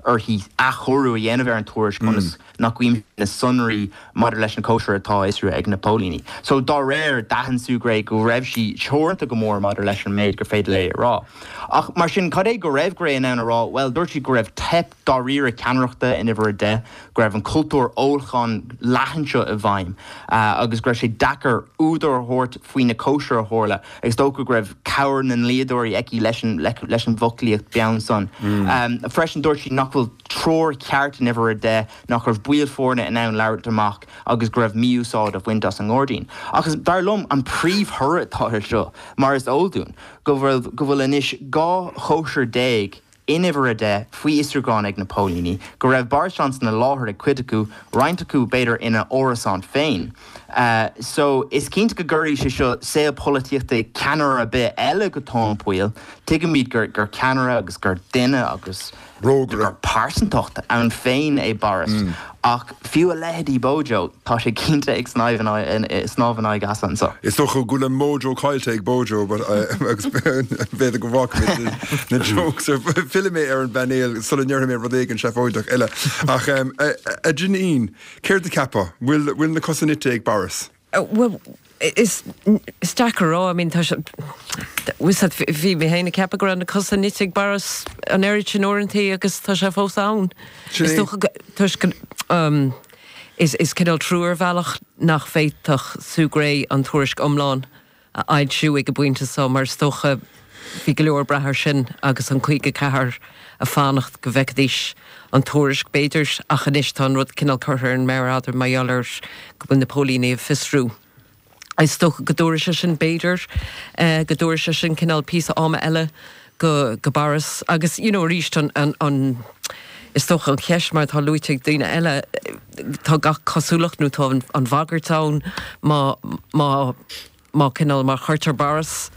uirthi athchóiriú a dhéanamh ar an tuairisc ionas nach gcuimseodh na sonraí maidir leis na cóisir atá á fhiosrú ag na póilíní. So, dá réir, d'aithin Sue Gray go raibh sí teoranta go mór maidir leis an méid gur féidir léi a rá. Ach mar sin, cad é go raibh Gray in ann a rá? Bhuel, dúirt sí go raibh teip dáiríre ceannaireachta in uimhir a 10, go raibh an cultúr ólacháin leathan seo i bhfeidhm agus go raibh sé deacair údar a thabhairt faoi na cóisir a tharla. Is dócha go raibh cabhair na ndlíodóirí aici leis an leis an bhfoclaíocht beann san. Freisin dúirt sí nach bhfuil treoir cheart in uimhir a 10, nach raibh baill foirne in ann labhairt amach agus go raibh mí-úsáid á bhaint as an ngairdín. Ach is dar liom an príomhthoradh atá air seo, mar is eol dúinn, go bhfuil go bhfuil anois 12 chóisir in uimhir a 10 faoi fhiosrúchán ag na póilíní, go raibh Boris Johnson i láthair ag cuid acu, roinnt acu b'fhéidir ina árasán féin. So, is cinnte go gcuirfidh sé seo saol polaitíochta ceannaire ar bith eile go tóin poill. Tuigimid gur ceannaire agus gur duine agus gur pearsantacht ann féin é Boris, ach fiú a leithéidí Bojo, tá sé cinnte ag snámh in aghaidh easa anseo. Is dócha go bhfuil an mojo caillte ag Bojo but agus b'fhéidir go bhfágfaimid na jokes ar fillfidh mé ar an bpainéal sula ndéarfaidh mé rud éigin seafóideach eile. Ach a Janine, céard a cheapfá? Bhfuil na cosa nite ag Boris? Bhuel, is deacair a rá. I mean, tá sé, bhí mé féin ag ceapadh go raibh na cosa nite ag Boris an oiread sin uaireantaí agus tá sé fós ann. Is dócha go, toisc go, is is cineál trua ar bhealach nach bhféadfadh Sue Gray an tuairisc iomlán a fhoilsiú ag an bpointe seo mar is dócha. bhí go leor ag brath air sin agus an 54 ag fanacht go bhfeicfidís an tuairisc b'fhéidir ach anois tá an rud cineál curtha ar an méar fhada mar gheall ar go bhfuil na póilíní ag fiosrú. Is dócha go dtabharfaidh sé sin b'fhéidir go dtabharfaidh sé sin cineál píosa ama eile go go Boris agus you know arís an an an is dócha an cheist mar atá luaite ag daoine eile tá gach cosúlacht nó tá an an bhagairt ann má má má cineál má chuirtear Boris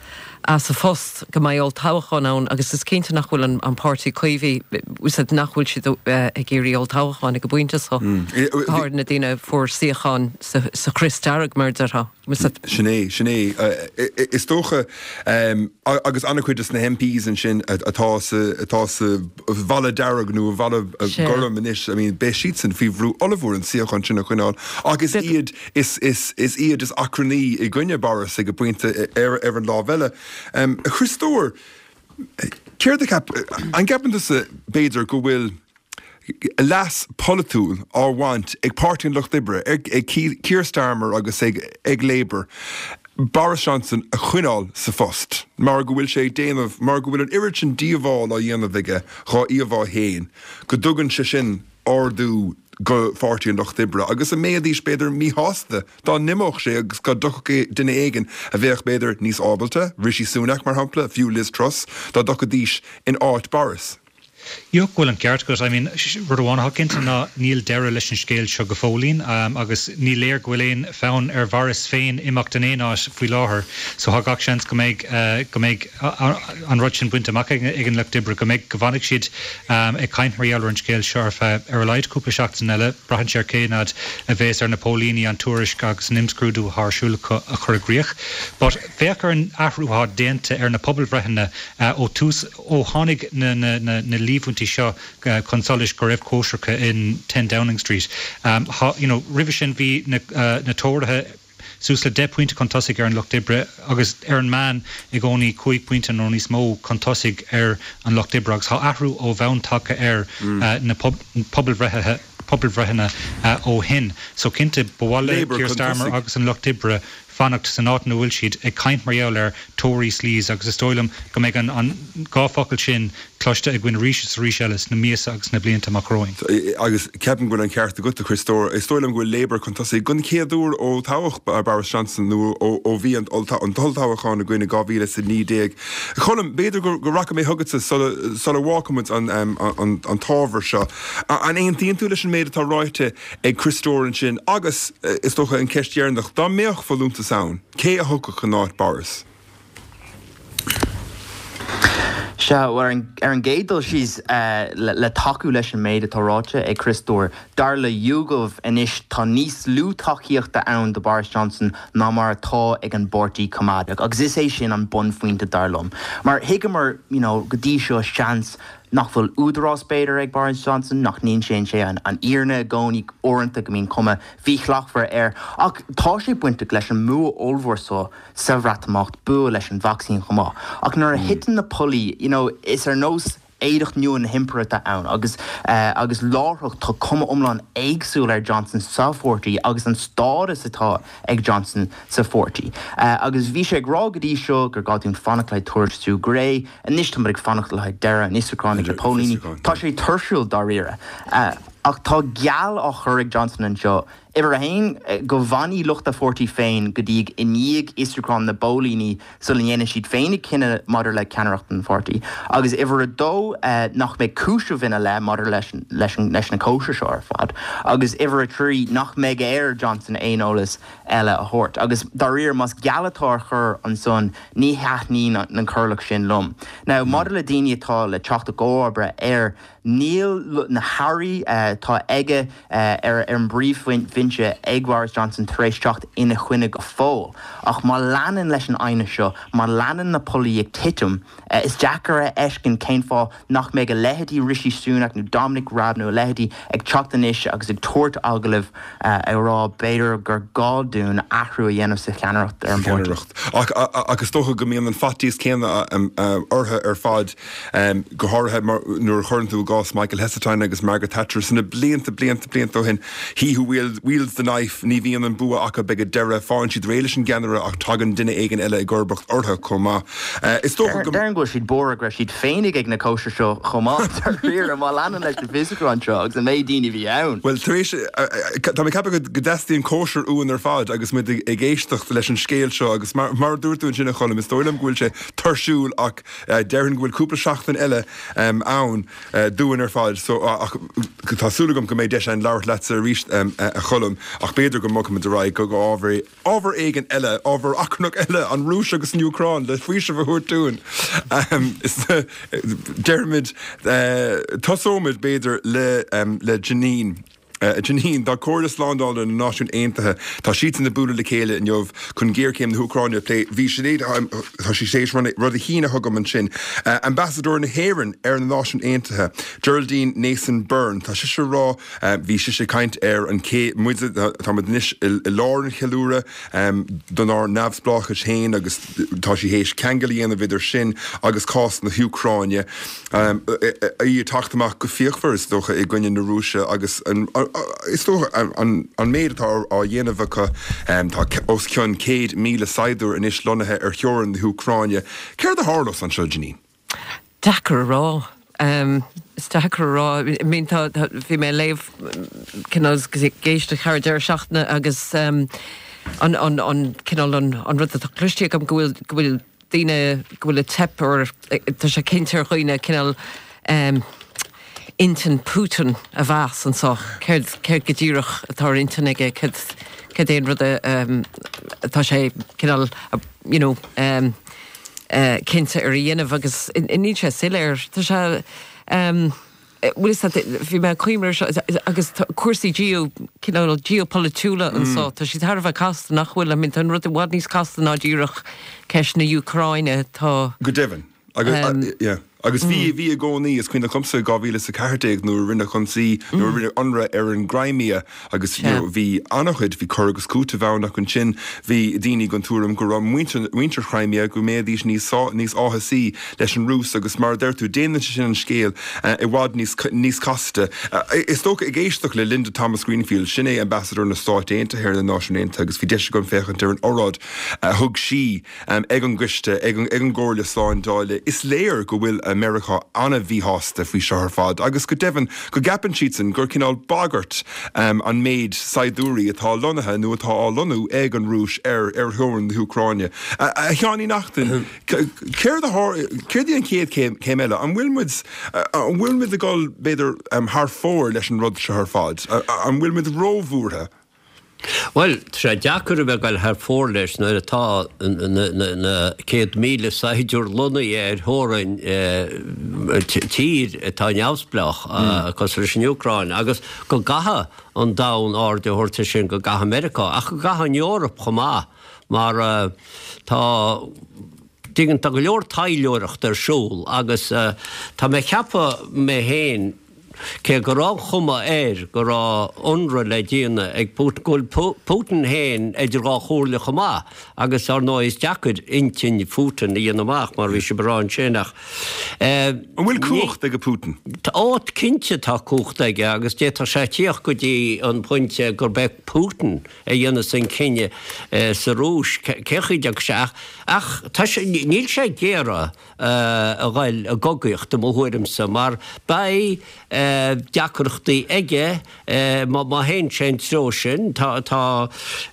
as a phost go mbeidh olltoghchán ann agus is cinnte nach bhfuil an an páirtí Caomhach said nach bhfuil siad ag iarraidh olltoghcháin ag an bpointe seo go háirid na daoine a fuair suíochán sa sa chrios dearg mar a déarfá. Sin é, sin é. Is dócha, agus an-chuid de na MPs ansin atá sa, atá sa bhalla dearg nó i bhalla gorm anois, I mean, beidh siadsan faoi bhrú ollmhór an suíochán sin a choinneáil ach is iad, is, is, is iad is achrannaí i gcoinne Boris ag an bpointe ar, ar an lámh eile. A Chriostóir, céard a cheap, an gceapann tusa, b'fhéidir, go bhfuil, leas polaitiúil á bhaint ag Páirtí an Lucht Oibre, ag Keir Starmer agus ag Labour, Boris Johnson a choinneáil sa phost mar go bhfuil sé ag déanamh, mar go bhfuil an oiread sin díobháil á dhéanamh aige dhá íomhá féin, go dtugann sé sin ardú go Pháirtí an Lucht Oibre agus an mbeidís b'fhéidir míshásta dá n-imeodh sé agus dá dtiocfadh duine éigin a bheadh b'fhéidir níos ábalta, Rishi Sunak mar shampla, fiú Liz Truss, dá dtiocfaidís in áit Boris. Go bhfuil an ceart agat. I mean, rud amháin atá cinnte ná níl deireadh leis an scéal seo go fóillín agus ní léir go bhfuil aon fhonn ar Bhoris féin imeacht in aon áit faoi láthair so tá gach seans go mbeidh, go mbeidh an rud sin bainte amach ag an Lucht Oibre, go mbeidh, go bhfanfaidh siad ag caint mar gheall ar an scéal seo ar feadh ar a laghad cúpla seachtain eile. Braitheann sé ar cén fhad a bheas ar na póilíní an tuairisc agus an imscrúdú atá ar siúl acu a chur i gcrích. But féach ar an athrú atá déanta ar na pobalbhreitheanna ó tús Ó tháinig na líomhaintí seo chun solais go raibh cóisreacha in 10 Downing Street, you know, roimhe sin bhí na Tóraithe suas le 10 pointe chun tosaigh ar an Lucht Oibre agus ar an meán i gcónaí 5 pointe nó níos mó chun tosaigh ar an Lucht Oibre agus tá athrú ó bhonn tagtha ar na pobalbhreitheanna ó shin. So cinnte, ba mhaith le Keir Starmer agus an Lucht Oibre fanacht san áit ina bhfuil siad, ag caint mar gheall ar Tory sleaze agus is dóigh liom go mbeidh an dá focal sin cloiste againn arís is arís eile sna míosa agus sna blianta amach romhainn. Agus ceapaim go bhfuil an ceart agat, a Chriostóir. Is dóigh liom go bhfuil Labour chun tosaigh den chéad uair ó toghadh Boris Johnson nó ó bhí an t-olltoghchán againn i 2019. A Cholm, b'fhéidir go rachaidh mé chugatsa sula bhfágfaimid an t-ábhar seo. An aontaíonn tú leis an méid atá ráite ag Criostóir ansin agus, is dócha, an cheist dheireanach, dá mbeadh folúntas ann, cé a thiocfadh in áit Boris? Sea, bhuel, ar an gcéad dul síos, le tacú leis an méid atá ráite ag Criostóir, dar le YouGov anois tá níos lú tacaíochta ann do Boris Johnson ná mar atá ag an bPáirtí Coimeádach agus is é sin an bunphointe dar liom. Mar thuigeamar, you know, go dtí seo, seans, nach bhfuil údarás, b'fhéidir, ag Boris Johnson, nach n-insíonn sé an fhírinne i gcónaí, uaireanta go mbíonn cuma mhíshlachtmhar air. Ach tá sé bainteach leis an mbua ollmhór seo sa Bhreatimeacht, bua leis an vacsaín chomh maith. Ach nuair a thiteann na pollaí, you know, is ar nós éadach nua na hImpire atá ann agus agus láithreach tá cuma iomlán éagsúil ar Johnson sa pháirtí agus an stádas atá ag Johnson sa pháirtí. Agus bhí sé ag rá go dtí seo gur gá dúinn fanacht le tuairisc Sue Gray, Anois táimid ag fanacht le haghaidh deireadh an fhiosrúcháin ag na póilíní. Tá sé tuirsiúil dáiríre. Ach tá geall á chur ag Johnson anseo, uimhir a haon, go bhfanfaidh lucht a pháirtí féin go dtí i ndiaidh fhiosrúchán na bpóilíní sula ndéanann siad féinig cinneadh maidir le ceannaireacht an pháirtí, agus uimhir a dó, nach mbeidh cúiseamh ina leith maidir leis leis na cóisir seo ar fad, agus uimhir a trí, nach mbeidh ar Johnson aon eolas eile a thabhairt. Agus dáiríre, más geall atá á chur ansan, ní thaitníonn an corrlach sin liom. Now, maidir le daoine atá le teacht i gcomharba air, níl na hairí atá aige ar an bpríomhbhinse ag Boris Johnson tar éis teacht ina choinne go fóill. Ach má leanann leis an aighneas seo, má leanann na pollaí ag titim, is deacair a fheiscint cén fáth nach mbeidh a leithéidí Rishi Sunak nó Dominic Raab nó a leithéidí ag teacht anois agus ag tabhairt agallaimh ag rá b'fhéidir gur gá dúinn athrú a dhéanamh sa cheannaireacht ar an bpáirtí. Ach ach is dócha go mbíonn an faitíos céanna orthu ar fad, go háirithe nuair a chuireann tú i gcás Michael Heseltine agus Margaret Thatcher. na blianta, blianta, blianta ó shin, he who wields the knife, ní bhíonn an bua acu ag an deireadh, faigheann siad réidh leis an gceannaire ach tagann duine éigin eile i gcomharbacht orthu chomh maith. Is dócha go. Déarfainn go bhfuil siad buartha go raibh siad féinig ag na cóisir seo chomh maith, dáiríre, má leanann leis na fiosrúcháin seo agus an méid daoine a bhí ann. Bhuel, tar éis, tá mé ag ceapadh go dteastaíonn cóisir uainn ar fad agus muid ag éisteacht leis an scéal seo agus mar a dúirt tú ansin a Choilm, is dóigh liom go bhfuil sé tuirsiúil ach déarfainn go bhfuil cúpla seachtain eile ann dúinn ar fad so ach tá súil agam go mbeidh deis againn labhairt leatsa arís a Choilm ach b'fhéidir go mbogfaimid ar aghaidh go ábhar ábhar éigin eile, ábhar achrannach eile, an Rúis agus an Úcráin le faoiseamh a thabhairt dúinn. Déarfaimid, tosóimid b'fhéidir le le Janine. Janine, tá Comhairle Slándála na Náisiún Aontaithe, tá siadsan ag bualadh le chéile inniu chun géarchéim na hÚcráine a phlé. Bhí Sinéad, tá sí tar éis rud a shíneadh chugam ansin. Ambasadóir na hÉireann ar na Náisiúin Aontaithe, Geraldine Nason Byrne, tá sise ag rá, Bhí sise ag caint ar an cé muid, tá muid anois i lár an cheiliúradh donár neamhspleáchais féin agus tá sí théis ceangal a dhéanamh idir sin agus cás na hÚcráine. Í ag teacht amach go fíochmhar, is dócha, i gcoinne na Rúise agus is dócha an méid atá á dhéanamh acu. Tá os cionn 100,000 saighdiúir anois lonnaithe ar theorainn na hÚcráine. Céard a tharlós anseo, Janine? Deacair a rá. Is deacair a rá. I mean tá, tá, bhí mé ag léamh cineál agus ag éisteacht thar an deireadh seachtaine agus an, an, an cineál an, an rud atá cloiste agam go bhfuil, go bhfuil daoine, go bhfuil ag teip ar, tá sé cinnte ar dhaoine cineál intinn Putin a mheas anseo. Céard, céard go díreach atá ar intinn aige, céard, céard é an rud a, atá sé cineál, you know, cinnte ar a dhéanamh agus níl sé soiléir. Tá sé, bhfuil fhios agat, bhí mé ag cuimhneamh air seo agus cúrsaí geo, cineál geopolaitiúla anseo, tá siad thar a bheith casta, nach bhfuil? I mean tá an rud i bhfad níos casta ná díreach ceist na Úcráine, tá. Go deimhin. Agus, yeah. Agus bhí, bhí i gcónaí, is cuimhin liomsa 2014 nuair a rinneadh ionsaí, nuair a rinneadh ionradh ar an gCrimea agus you know bhí an-chuid, bhí cur agus cúiteamh ann ach ansin bhí daoine den tuairim go raibh muintir, muintir Chrimea, go mbeidís níos sá, níos áthasaí leis an Rúis agus mar a deir tú, déanann sé sin an scéal i bhfad níos, níos casta. Is dócha ag éisteacht le Linda Thomas-Greenfield, sin é Ambassador na Stáit Aontaithe ar na Náisiúin Aontaithe agus bhí deis agam féachaint ar an oráid a thug sí, ag an gcoiste, ag an gComhairle Slándála, is léir go bhfuil Meiriceá an-mhíshásta faoi seo ar fad agus go deimhin go gceapann siadsan gur cineál bagairt an méid saighdiúirí atá lonnaithe nó atá á lonnú ag an Rúis ar ar theorainn na hÚcráine. A Sheáin Uí Neachtain, céard a céard í an chéad chéim eile? An bhfuil muid an bhfuil muid ag dul b'fhéidir thar fóir leis an rud seo ar fad? An bhfuil muid róbhuartha? Bhuel, tá sé deacair a bheith ag dul thar fóir leis nuair atá na 100,000 saighdiúir lonnaithe ar theorainn tír atá neamhspleách, cosúil leis an Úcráin, agus go gcaithfidh an domhan aird a thabhairt air sin, go gcaithfidh Meiriceá, ach go gcaithfidh an Eoraip chomh maith, mar tá, tuigeann, tá go leor taidhleoireachta ar siúl agus tá mé ag ceapadh mé féin, Cé go raibh an chuma air go raibh ionradh le déanamh ag Putin, go bhfuil Putin féin idir dhá chomhairle chomh maith agus ar ndóigh is deacair intinn Phutin a dhéanamh amach mar bhí sibh ag rá ansin ach An bhfuil cumhacht ag Putin? Ó cinnte tá cumhacht aige agus d'fhéadfadh sé tíocht go dtí an pointe gurb é Putin a dhéanfas an cinneadh sa Rúis cén chaoi a dtiocfaidh sé ach ach tá sé níl sé ag iarraidh a ghoil i gcogaíocht, i mo thuairimse, mar beidh deacrachtaí aige má théann sé an treo sin. Tá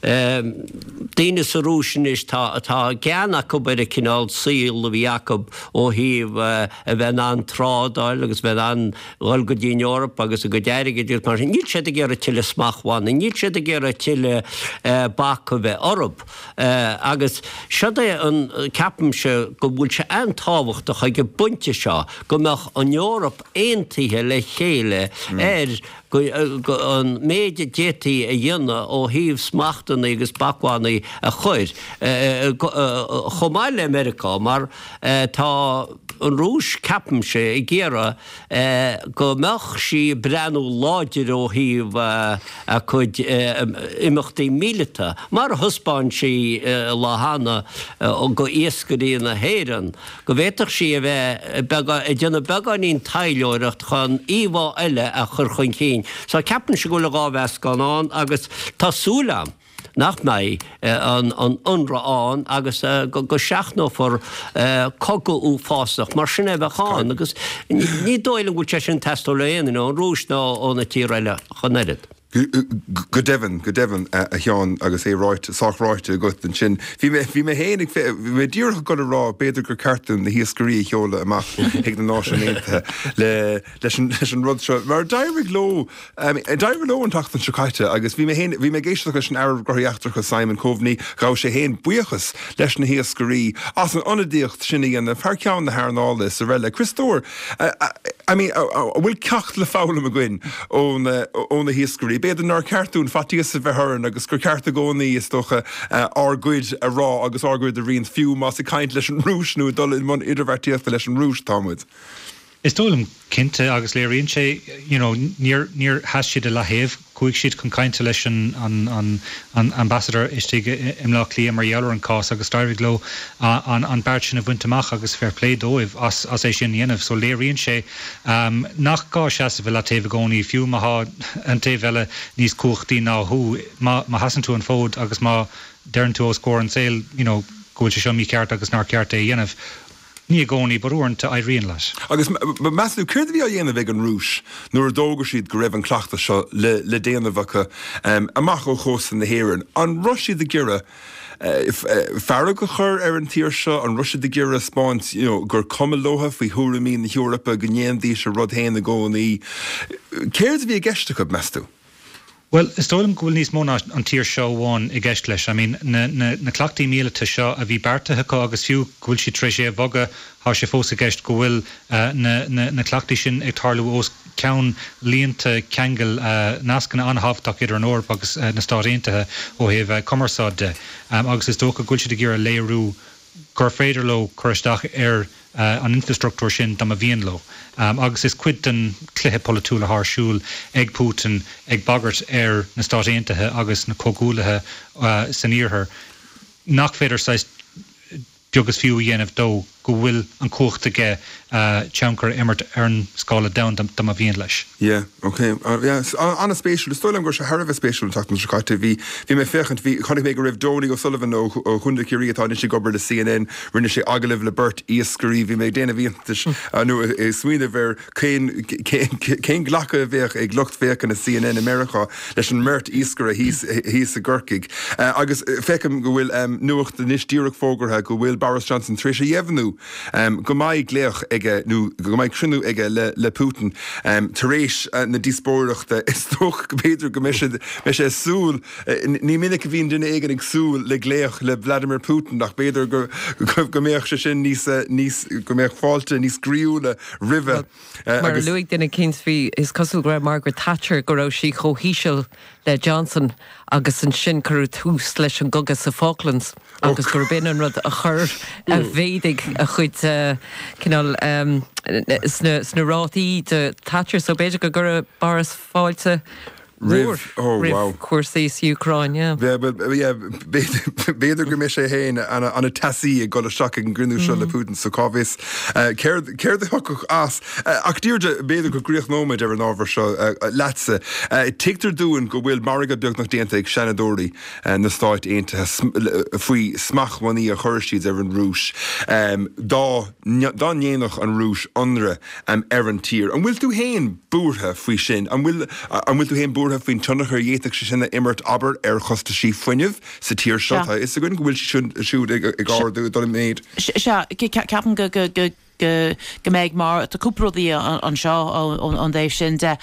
daoine sa Rúis anois, tá gean acu ar an cineál saol a bhí acu ó thaobh a bheith in ann trádáil agus a bheith in ann dhul go dtí an Eoraip agus a gcuid airgid agus mar sin. Níl siad ag iarraidh tuilleadh smachtbhannaí, níl siad ag iarraidh tuilleadh bac a bheith orthu. Agus seod é an, ceapaimse go bhfuil sé an-tábhachtach ag an bpointe seo go mbeadh an Eoraip aontaithe le chéile ar an méid a d'fhéadfaí a dhéanamh ó thaobh smachtanna agus bacbhannaí a chur, chomh maith le Meiriceá, mar tá. an Rúis, ceapaimse, ag iarraidh go mbeadh sí ag breathnú láidir ó thaobh a cuid imeachtaí míleata, mar a thaispeáin sí lá cheana go iascairí na hÉireann, go bhféadfadh sí a bheith ag déanamh beagáinín taidhleoireacht chun íomhá eile a chur chun cinn. So ceapaimse go bhfuil an dá mheascán ann agus tá súil agam nach mbeidh an ionradh ann agus go seachnófar cogadh uafásach mar sin é a bheadh ann agus ní dóigh liom go bhfuil sé sin ag teastáil ó aon duine, ón Rúis ná ó na tíortha eile ach an oiread. Go deimhin, go deimhin, a Sheáin, agus é ráite, sách ráite agat ansin. Bhí mé, bhí mé féin ag, bhí mé díreach ag dul a rá, b'fhéidir gur ceart dúinn na hiascairí a sheoladh amach chuig na Náisiúin Aontaithe le, leis an, leis an rud seo. Mar d'éirigh leo, d'éirigh leo an tseachtain seo caite agus bhí mé féin, bhí mé ag éisteacht leis an Aire Gnóthaí Eachtracha Simon Coveney, ghabh sé féin buíochas leis na hiascairí as an ionadaíocht sin a dhéanamh thar ceann na hearnála is araile. Criostóir, I mean, an bhfuil ceacht le foghlaim againn ó na hiascairí? B'fhéidir nár cheart dúinn faitíos a bheith orainn agus gur ceart i gcónaí, is dócha, ár gcuid a rá agus ár gcuid a roinnt, fiú más ag caint leis an Rúis nó ag dul i mbun idirbheartaíochta leis an Rúis atá muid. Is dóigh liom cinnte, agus léiríonn sé, you know, níor, níor sheas siad i leaththaobh. Chuaigh siad chun cainte leis an an ambassador istigh i mBleá Cliath mar gheall ar an cás agus d'éirigh leo an beart sin a bhaint amach agus fair play dóibh as é sin a dhéanamh. So léiríonn sé nach gá seasamh i leataobh i gcónaí, fiú má thá an taobh eile níos cumhachtaí ná thú. Má sheasann tú an fód agus má deireann tú os comhair an tsaoil you know go bhfuil sé seo mícheart agus nár cheart é a dhéanamh, Ní i gcónaí, but uaireanta éiríonn leat. Agus meas tú, céard a bhí á dhéanamh ag an Rúis nuair a d'fhógair siad go raibh an cleachtadh seo le déanamh acu amach ó chósta na hÉireann? An raibh siad ag iarraidh fearg a chur ar an tír seo? An raibh siad ag iarraidh 'spáint you know gur cuma leotha faoi thuairimí na hEorpa, go ndéanfaidís a rud féin i gcónaí? Céard a bhí i gceist acu, meas tú? Bhuel, is dóigh liom go bhfuil níos mó ná an tír seo amháin i gceist leis. I mean, na, na, na cleachtaí míleata seo a bhí beartaithe acu agus fiú go bhfuil siad tar éis é a bhogadh, tá sé fós i gceist go bhfuil na, na, na cleachtaí sin ag tarlú os ceann líonta ceangail, nascanna an-thábhachtach idir an Eoraip agus na Stáit Aontaithe ó thaobh cumarsáid de. Agus is dócha go bhfuil siad ag iarraidh léiriú gur féidir leo cur isteach ar an infreastruchtúr sin dá mba mhian leo. Agus is cuid den chluiche polaitiúil atá ar siúl ag Putin ag bagairt ar na Stáit Aontaithe agus na comhghuaillithe san iarthar nach féidir saghas beag is fiú a dhéanamh dó, go bhfuil an chumhacht aige tionchar a imirt ar an scála domhanda dá mba mhian leis. Yeah, ok. Yeah, an-spéisiúil. Is dóigh liom go raibh sé thar a bheith spéisiúil an tseachtain seo caite. Bhí, bhí mé ag féachaint, bhí, chonaic mé go raibh Donie O'Sullivan ó, ó Chontae Chiarraí atá anois ag obair le CNN, rinne sé agallamh le beirt iascairí. Bhí mé ag déanamh iontais, nó ag smaoineamh ar cén, cén, cén glacadh a bheadh ag lucht féachana CNN i Meiriceá leis an mbeirt iascaire thíos, thíos i gCorcaigh. Agus feicim go bhfuil nuacht anois díreach fógartha go bhfuil Boris Johnson tar éis a dheimhniú go mbeidh glaoch aige nó go mbeidh cruinniú aige le Putin tar éis na díospóireachta. Is dócha go mb'fhéidir go mbeidh sé beidh sé ag súil, ní minic a bhíonn duine éigin ag súil le glaoch le Vladimir Putin ach b'fhéidir go go mbeadh sé sin níos níos go mbeadh fáilte níos groíúla roimhe. Mar a luaigh duine eicínt bhí, is cosúil go raibh Margaret Thatcher, go raibh sí chomh híseal le Johnson agus ansin cuireadh tús leis an gcogadh sa Falklands. agus gurb in an rud a chuir, a mhéadaigh a chuid cineál sna rátaí do Thatcher. So b'fhéidir go gcuirfeadh Boris fáilte mhór roimh chúrsaí sa Úcráin, yeah. B'fhéidir go mbeidh sé féin an-teasaí ag dul isteach ag an gcruinniú seo le Putin so cá bhfios céard a thiocfadh as. Ach Deirdre, b'fhéidir go gcríochnóimid ar an ábhar seo leatsa. Tuigtear dúinn go bhfuil margadh beagnach déanta ag Seanadóirí na Stáit Aontaithe faoi smachtbhannaí a chuir siad ar an Rúis dá dá ndéanfadh an Rúis ionradh ar an tír. An bhfuil tú féin buartha faoi sin? An bhfuil an bhfuil tú féin buartha faoin tionchar a d'fhéadfadh sé sin a imirt, abair, ar chostaisí fuinnimh sa tír seo? Tá a fhios againn go bhfuil siad siúd ag ardú, ag dul i méid. Sea, ceapaim go go go mbeidh mar tá cúpla rudaí anseo ón dtaobh sin de.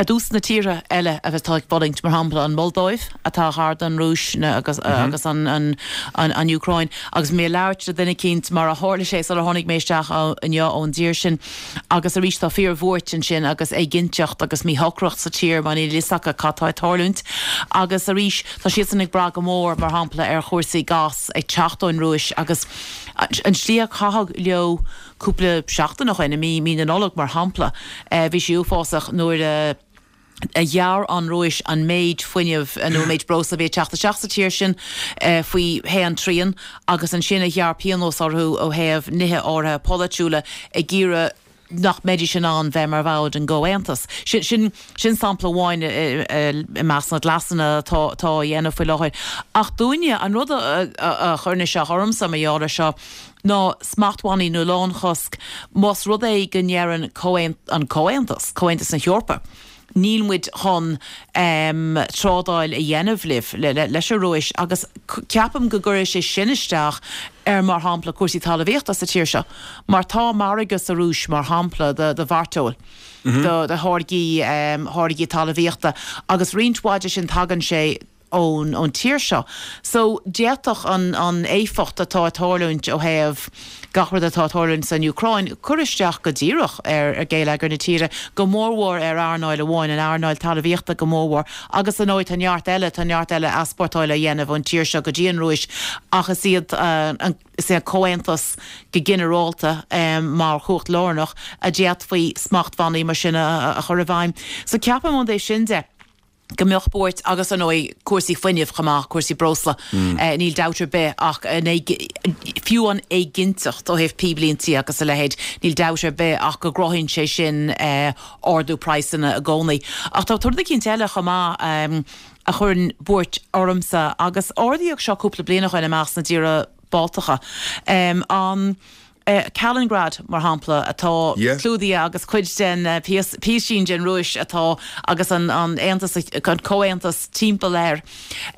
Ar dtús na tíortha eile atá ag fulaingt, mar shampla an Mholdóiv atá gar don Rúis agus agus an an Úcráin agus mé ag labhairt le duine eicínt mar a tharla sé sular tháinig mé isteach inniu ón dtír sin agus arís tá fíor-bhuairt ansin agus éiginnteacht agus míshocracht sa tír mar níl a fhios acu cad tá ag tarlúint agus arís tá siadsan ag brath go mór mar shampla ar chúrsaí gas ag teacht ón Rúis agus an tslí a caitheadh leo. cúpla seachtain ó shin, i mí, mí na Nollag mar shampla, bhí sé uafásach nuair a, a ghearr an Rúis an méid fuinnimh nó an méid breosla a bhí ag teacht isteach sa tír sin faoi haon trian agus ansin a ghearr pionós orthu ó thaobh nithe áirithe polaitiúla ag iarraidh nach mbeidís in ann bheith mar bhall den gComhaontas. Sin, sin, sin sampla amháin i measc na gcleasanna atá, atá á dhéanamh faoi láthair. Ach dúinne, an rud a, a, a chuireann isteach ormsa mar gheall air seo ná smachtbhannaí nó lánchosc más rud é go ndeireann an Comhaontas, Comhaontas na hEorpa, níl muid chun trádáil a dhéanamh libh, leis an Rúis agus ceapaim go gcuirfidh sé sin isteach ar, mar shampla, cúrsaí talmhaíochta sa tír seo mar tá margadh sa Rúis, mar shampla, do mhairteoil, do tháirgí, tháirgí talmhaíochta agus roinnt mhaith de sin tagann sé ón ón tír seo. So, d'fhéadfadh an an éifeacht atá ag tarlúint ó thaobh gach rud atá ag tarlúint san Úcráin cur isteach go díreach ar ar gheilleagar na tíre, go mórmhór ar earnáil amháin, an earnáil talmhaíochta go mórmhór. Agus ar ndóigh tá neart eile, tá neart eile easpórtáil á dhéanamh ón tír seo go dtí an Rúis ach is iad an is é an Comhaontas go ginearálta mar chumhacht lárnach a d'fhéadfaí smachtbhannaí mar sin a chur i bhfeidhm. So ceapaim ón dtaobh sin de, go mbeadh buairt agus ar ndóigh cúrsaí fuinnimh chomh maith, cúrsaí breosla, níl dabht ar bith ach an fiú an éiginnteacht ó thaobh píblíntí agus a leithéid, níl dabht ar bith ach go gcruthaíonn sé sin ardú praghsanna i gcónaí. Ach tá rud eicínt eile chomh maith a chuireann buairt ormsa agus ardaíodh seo cúpla bliain ó shin i measc na dtíortha Baltacha, an. Kaliningrad, mar shampla, atá clúdaithe agus cuid den, píosín den Rúis atá agus an Aontas, an Comhaontas timpeall air.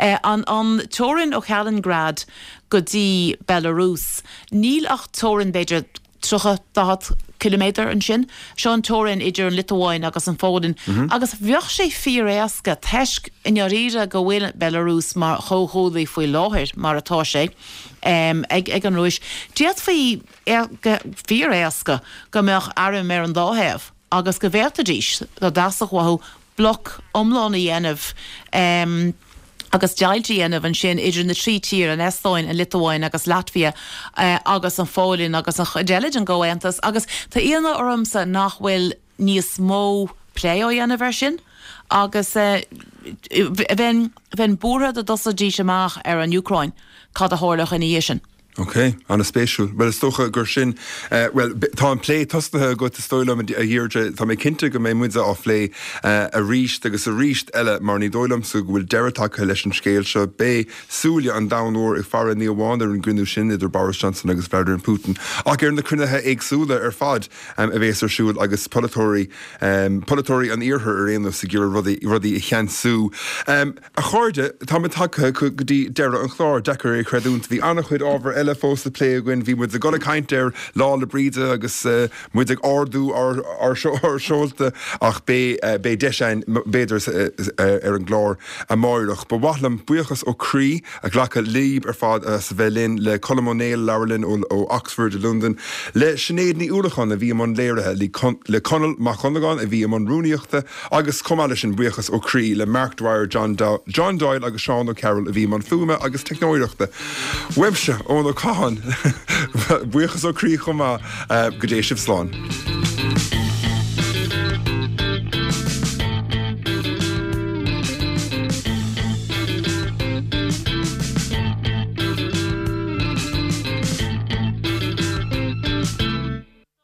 An teorainn ó Kaliningrad go dtí Belarus, níl ach teorainn b'fhéidir 30, 40 ciliméadar ansin. Seo an teorainn idir an Liotuáin agus an Pholainn. Agus bheadh sé fíor-éasca, toisc i ndáiríre go bhfuil Belarus mar chomhghuaillí faoi láthair, mar atá sé, ag an Rúis. D'fhéadfaí go fíor-éasca go mbeadh airm ar an dá thaobh agus go bhféadfaidís, dá dteastódh uathu, bloc iomlán a dhéanamh agus deighilt a dhéanamh ansin idir na trí tír, an Eastóin, an Liotuáin agus Latvia, agus an Pholainn agus an chuid eile den gComhaontas. Agus tá ionadh ormsa nach bhfuil níos mó plé á dhéanamh air sin agus bheinn bheinn buartha dá dtosóidís amach ar an Úcráin cad a tharlódh ina dhiaidh sin. Ok, an-spéisiúil. Bhuel, is dócha gur sin, bhuel, tá an plé tosnaithe agat, is dóigh liom, a Dheirdre. Tá mé cinnte go mbeidh muide á phlé arís agus arís eile mar ní dóigh liomsa go bhfuil deireadh tagtha leis an scéal seo. Beidh súile an domhain mhóir ag faire ní amháin ar an gcruinniú sin idir Boris Johnson agus Vladimir Putin ach ar na cruinnithe éagsúla ar fad a bhéas ar siúl agus polaiteoirí, polaiteoirí an Iarthair ar aon nós ag iarraidh rudaí, rudaí a cheansú. A chairde, táimid tagtha go dtí deireadh an chláir. Deacair é a chreidiúint. Bhí an-chuid ábhar eile fós le plé againn. Bhí muid ag dul ag caint ar Lá 'le Bríde agus muid ag ardú ár, ár, ár seolta ach beidh, beidh deis againn b'fhéidir ar an gclár amáireach. Ba mhaith liom buíochas ó chroí a ghlacadh libh ar fad as a bheith linn, le Colm Ó Néill a labhair linn ó Oxford i Londain, le Sinéad Ní Uallacháin a bhí i mbun léirithe, le Conall Mac Dhonnagáin a bhí i mbun rúnaíochta agus chomh maith leis sin buíochas ó chroí le Mark Dwyer, John Doyle agus Seán Ó Cearúil a bhí i mbun fuaime agus teicneoireachta. Uaimse, Eoin Ó Catháin, buíochas ó chroí chomh maith. Go dté sibh slán.